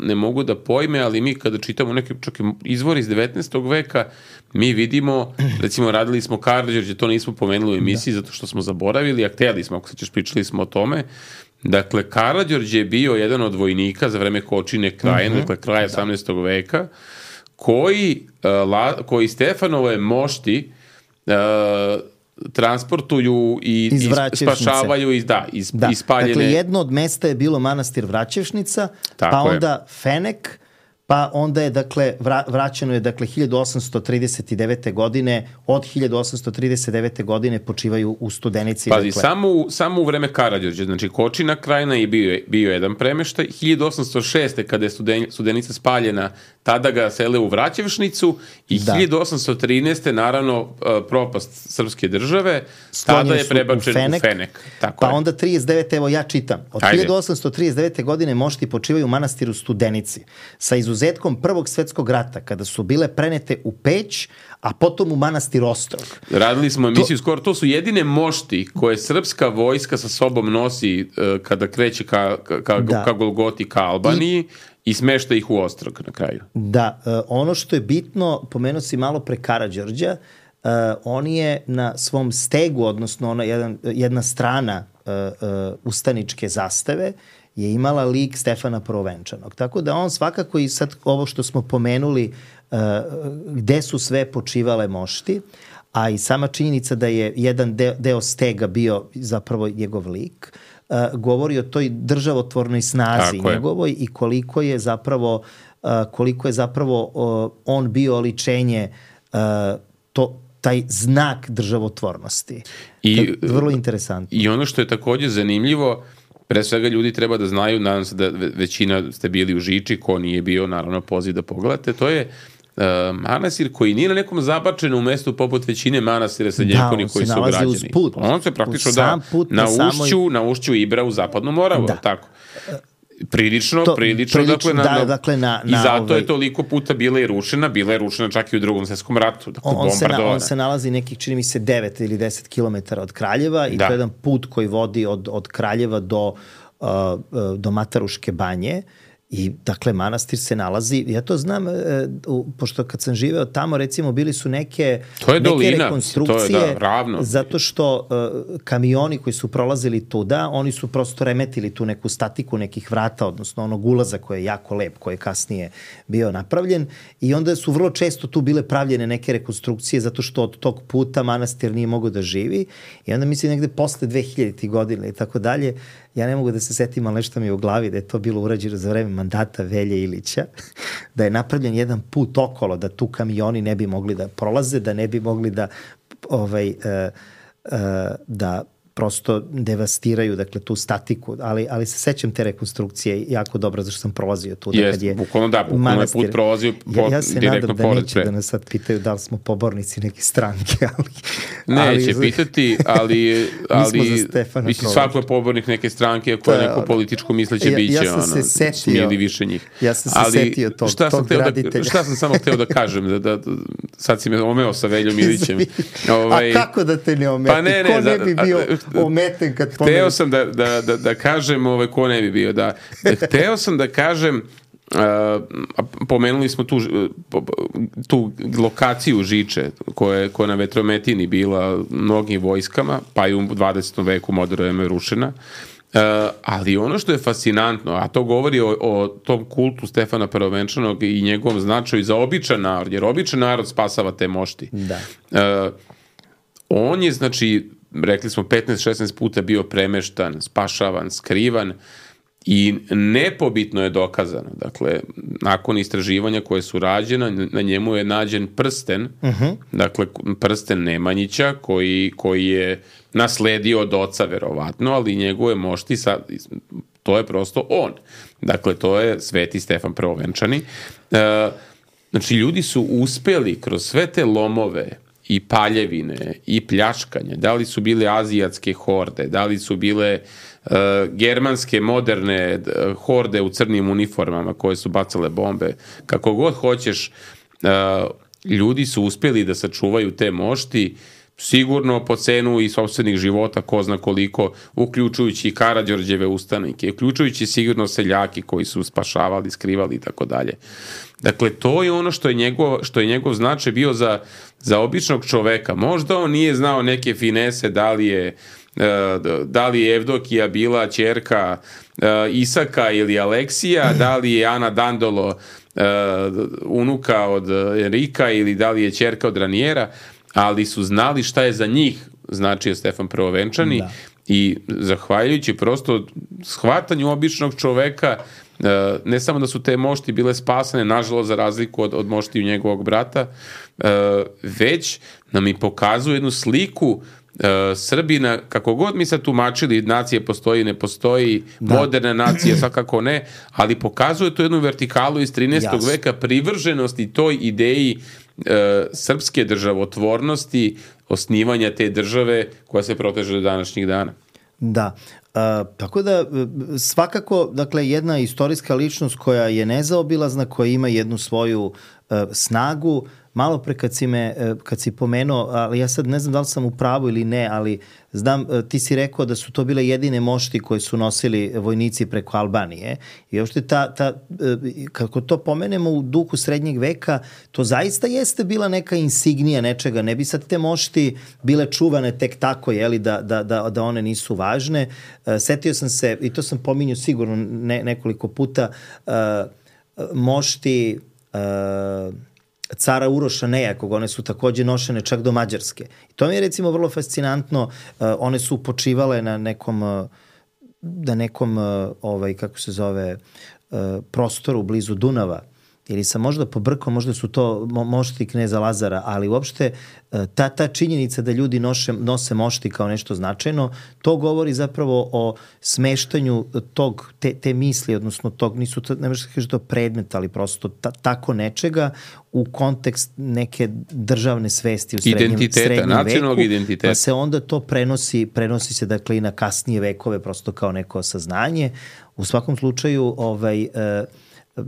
ne mogu da pojme, ali mi kada čitamo neke čak izvori iz devetnaestog veka, mi vidimo, recimo radili smo Karađorđe, to nismo pomenuli u emisiji da. zato što smo zaboravili, a hteli smo, ako se ćeš, pričali smo o tome. Dakle, Karađorđe je bio jedan od vojnika za vreme Kočine Krajine, uh-huh. dakle kraja osamnaestog veka, koji, uh, la, koji Stefanove mošti uh, transportuju i, i spašavaju iz, da, iz, da. ispaljene... Dakle, jedno od mesta je bilo manastir Vraćevšnica, Tako pa onda je. Fenek, pa onda je, dakle, vra, vraćeno je, dakle, hiljadu osamsto trideset devete godine, od hiljadu osamsto trideset devete godine počivaju u Studenici. Pazi, dakle. samo, samo u vreme Karađorđa, znači Kočina Krajina je bio, bio jedan premeštaj, hiljadu osamsto šeste kada je Studen, Studenica spaljena, tada ga sele u Vraćevšnicu i da. hiljadu osamsto trinaeste naravno propast srpske države, Sklonjeni tada je prebačen u Fenek, u Fenek tako pa je. onda trideset devete evo ja čitam, od Ajde. hiljadu osamsto trideset devete godine mošti počivaju u manastiru Studenici, sa izuzetkom Prvog svetskog rata, kada su bile prenete u Peć, a potom u manastir Ostrog. Radili smo emisiju to... skoro, to su jedine mošti koje srpska vojska sa sobom nosi uh, kada kreće ka, ka, da. ka Golgoti, ka Albaniji, I... i smešta ih u Ostrog na kraju. Da, uh, ono što je bitno, pomenuo si malo pre Karađorđa, uh, on je na svom stegu, odnosno ona jedan, jedna strana uh, uh, ustaničke zastave, je imala lik Stefana Prvovenčanog. Tako da on svakako i sad ovo što smo pomenuli uh, gde su sve počivale mošti, a i sama činjenica da je jedan deo, deo stega bio zapravo njegov lik, uh, govori o toj državotvornoj snazi Tako njegovoj je. i koliko je zapravo uh, koliko je zapravo uh, on bio oličenje uh, to taj znak državotvornosti. I, vrlo interesantno. I ono što je takođe zanimljivo, pre svega ljudi treba da znaju, nadam se da većina ste bili u Žiči, ko nije bio, naravno poziv da pogledate, to je uh, manastir koji nije na nekom zabačenom mestu poput većine manastira srednjekovnih da, koji su građeni. Put, on se praktično da na ušću, samoj... na ušću Ibra u zapadnu Moravu, da. tako. Prilično, to, prilično, prilično dakle, na, da, dakle na, i zato ovaj, je toliko puta bila i rušena, bila je rušena čak i u drugom svetskom ratu, dakle on, on, se na, on se nalazi nekih, čini mi se, devet ili deset kilometara od Kraljeva i da. to je jedan put koji vodi od, od Kraljeva do, uh, do Mataruške banje. I, dakle, manastir se nalazi, ja to znam, e, u, pošto kad sam živeo tamo, recimo, bili su neke, to je neke dolina, rekonstrukcije, to je, da, ravno. zato što e, kamioni koji su prolazili tuda, oni su prosto remetili tu neku statiku nekih vrata, odnosno onog ulaza koji je jako lep, koji je kasnije bio napravljen, i onda su vrlo često tu bile pravljene neke rekonstrukcije, zato što od tog puta manastir nije mogao da živi, i onda mislim negde posle dve hiljadite godine i tako dalje, ja ne mogu da se setim, ali nešto mi je u glavi da je to bilo urađeno za vreme mandata Velje Ilića, da je napravljen jedan put okolo, da tu kamioni ne bi mogli da prolaze, da ne bi mogli da ovaj, uh, uh, da prosto devastiraju, dakle, tu statiku, ali, ali se sećam te rekonstrukcije jako dobro, zašto sam prolazio tu. Jest, da bukvalno da, bukvalno je put prolazio po, ja, ja se direktno nadam da neće pre. da nas sad pitaju da li smo pobornici neke stranke, ali... Neće ali, pitati, ali... ali mislim, svako je pobornik neke stranke koja je neko političko misleće ja, biće, ja sam ono, se setio, smijeli više njih. Ja sam se ali, setio tog, šta tog graditelja. Da, šta sam samo hteo da kažem, da, da, sad si me omeo sa Veljom Ilićem. ovaj, a kako da te ne ometi? Pa ne, ne, ko ne bi bio ometen kad pomeni? Hteo sam da, da, da, da kažem, ovaj, ko ne bi bio, da, hteo sam da kažem, uh, pomenuli smo tu, tu lokaciju Žiče, koja je, koja na Vetrometini bila mnogim vojskama, pa i u dvadesetom veku moderno je rušena. Uh, ali ono što je fascinantno, a to govori o, o tom kultu Stefana Prvovenčanog i njegovom značaju za običan narod, jer običan narod spasava te mošti. Da. Uh, on je, znači, rekli smo, petnaest šesnaest puta bio premeštan, spašavan, skrivan, I nepobitno je dokazano, dakle, nakon istraživanja koje su rađena, na njemu je nađen prsten, uh-huh. dakle, prsten Nemanjića, koji, koji je nasledio od oca, verovatno, ali njegove mošti, sad, to je prosto on. Dakle, to je Sveti Stefan Prvovenčani. E, znači, ljudi su uspeli kroz sve te lomove i paljevine i pljačkanje, da li su bile azijatske horde, da li su bile uh, germanske moderne uh, horde u crnim uniformama koje su bacale bombe, kako god hoćeš, uh, ljudi su uspjeli da sačuvaju te mošti, sigurno po cenu i sopstvenih života, ko zna koliko, uključujući i Karađorđeve ustanike, uključujući sigurno seljaki koji su spašavali, skrivali i tako dalje. Dakle, to je ono što je njegov, što je njegov značaj bio za, za običnog čoveka. Možda on nije znao neke finese, da li je, da li je Evdokija bila ćerka Isaka ili Aleksija, da li je Ana Dandolo unuka od Enrika ili da li je ćerka od Ranijera, ali su znali šta je za njih značio Stefan Prvovenčani da. I zahvaljujući prosto shvatanju običnog čoveka, ne samo da su te mošti bile spasane, nažalost za razliku od, od moštiju njegovog brata, već nam i pokazuje jednu sliku Srbina, kako god mi sad tumačili, nacije postoji, ne postoji, da. Moderna nacija svakako ne, ali pokazuje to jednu vertikalu iz trinaestog Jasne. Veka, privrženosti toj ideji e, srpske državotvornosti, osnivanja te države koja se proteže do današnjih dana. Da, uh, tako da svakako, dakle, jedna istorijska ličnost koja je nezaobilazna, koja ima jednu svoju uh, snagu. Malo pre kad si me, kad si pomenuo, ali ja sad ne znam da li sam u pravu ili ne, ali znam, ti si rekao da su to bile jedine mošti koje su nosili vojnici preko Albanije i uopšte ta, ta, kako to pomenemo u duhu srednjeg veka, to zaista jeste bila neka insignija nečega, ne bi sad te mošti bile čuvane tek tako, jeli, da, da, da, da one nisu važne. Setio sam se, i to sam pominjao sigurno ne, nekoliko puta, mošti cara Uroša Nejakog, one su takođe nošene čak do Mađarske. I to mi je recimo vrlo fascinantno, uh, one su počivale na nekom, uh, na nekom, uh, ovaj, kako se zove, uh, prostoru blizu Dunava. Ili sam možda pobrkao, možda su to mo- mošti kneza Lazara, ali uopšte ta, ta činjenica da ljudi noše, nose mošti kao nešto značajno, to govori zapravo o smeštanju tog, te, te misli, odnosno tog, nisu to, ne možeš da kažeš to predmet, ali prosto ta, tako nečega u kontekst neke državne svesti u srednjem, identiteta, srednjem nacionalnog veku, identiteta. Pa se onda to prenosi, prenosi se dakle i na kasnije vekove prosto kao neko saznanje. U svakom slučaju, ovaj, uh,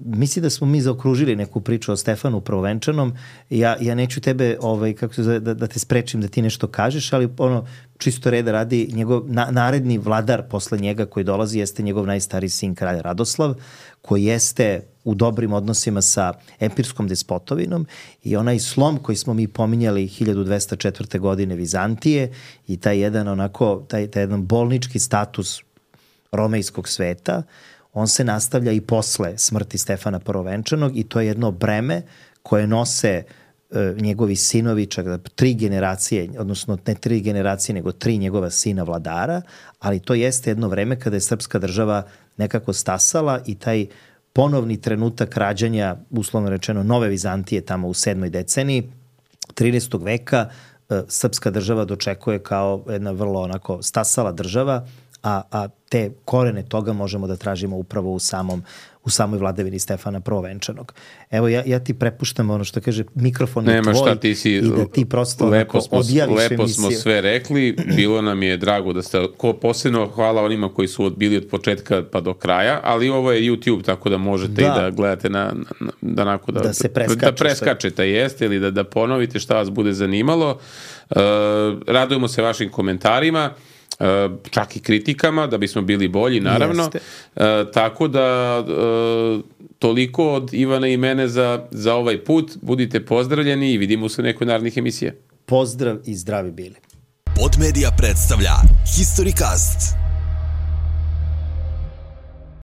mislim da smo mi zaokružili neku priču o Stefanu Prvovenčanom. Ja, ja neću tebe, ovaj, kako se zove, da, da te sprečim da ti nešto kažeš, ali ono, čisto reda radi, njegov na, naredni vladar posle njega koji dolazi jeste njegov najstariji sin, kralj Radoslav, koji jeste u dobrim odnosima sa empirskom despotovinom i onaj slom koji smo mi pominjali hiljadu dvesta četvrte. godine Vizantije i taj jedan onako, taj, taj jedan bolnički status romejskog sveta, on se nastavlja i posle smrti Stefana Prvovenčanog i to je jedno breme koje nose e, njegovi sinovi, čak da tri generacije, odnosno ne tri generacije, nego tri njegova sina vladara, ali to jeste jedno vreme kada je srpska država nekako stasala i taj ponovni trenutak rađanja, uslovno rečeno, nove Vizantije tamo u sedmoj deceniji trinaestog veka, e, srpska država dočekuje kao jedna vrlo onako stasala država, A, a te korene toga možemo da tražimo upravo u samom u samoj vladavini Stefana Prvovenčanog. Evo, ja, ja ti prepuštam ono što kaže, mikrofon je Nema tvoj šta, ti si, i da ti prosto lepo smo, odjaviš lepo emisiju. smo sve rekli, bilo nam je drago da ste, ko posebno hvala onima koji su bili od početka pa do kraja, ali ovo je YouTube, tako da možete da. i da gledate na, na, da, nako, da, da se preskače, da preskačete, jeste, ili da, da ponovite šta vas bude zanimalo. Uh, radujemo se vašim komentarima, Uh, čak i kritikama, da bismo bili bolji, naravno. Uh, tako da uh, toliko od Ivana i mene za, za ovaj put. Budite pozdravljeni i vidimo se u nekoj narednih emisija. Pozdrav i zdravi bili. Podmedia predstavlja Historicast.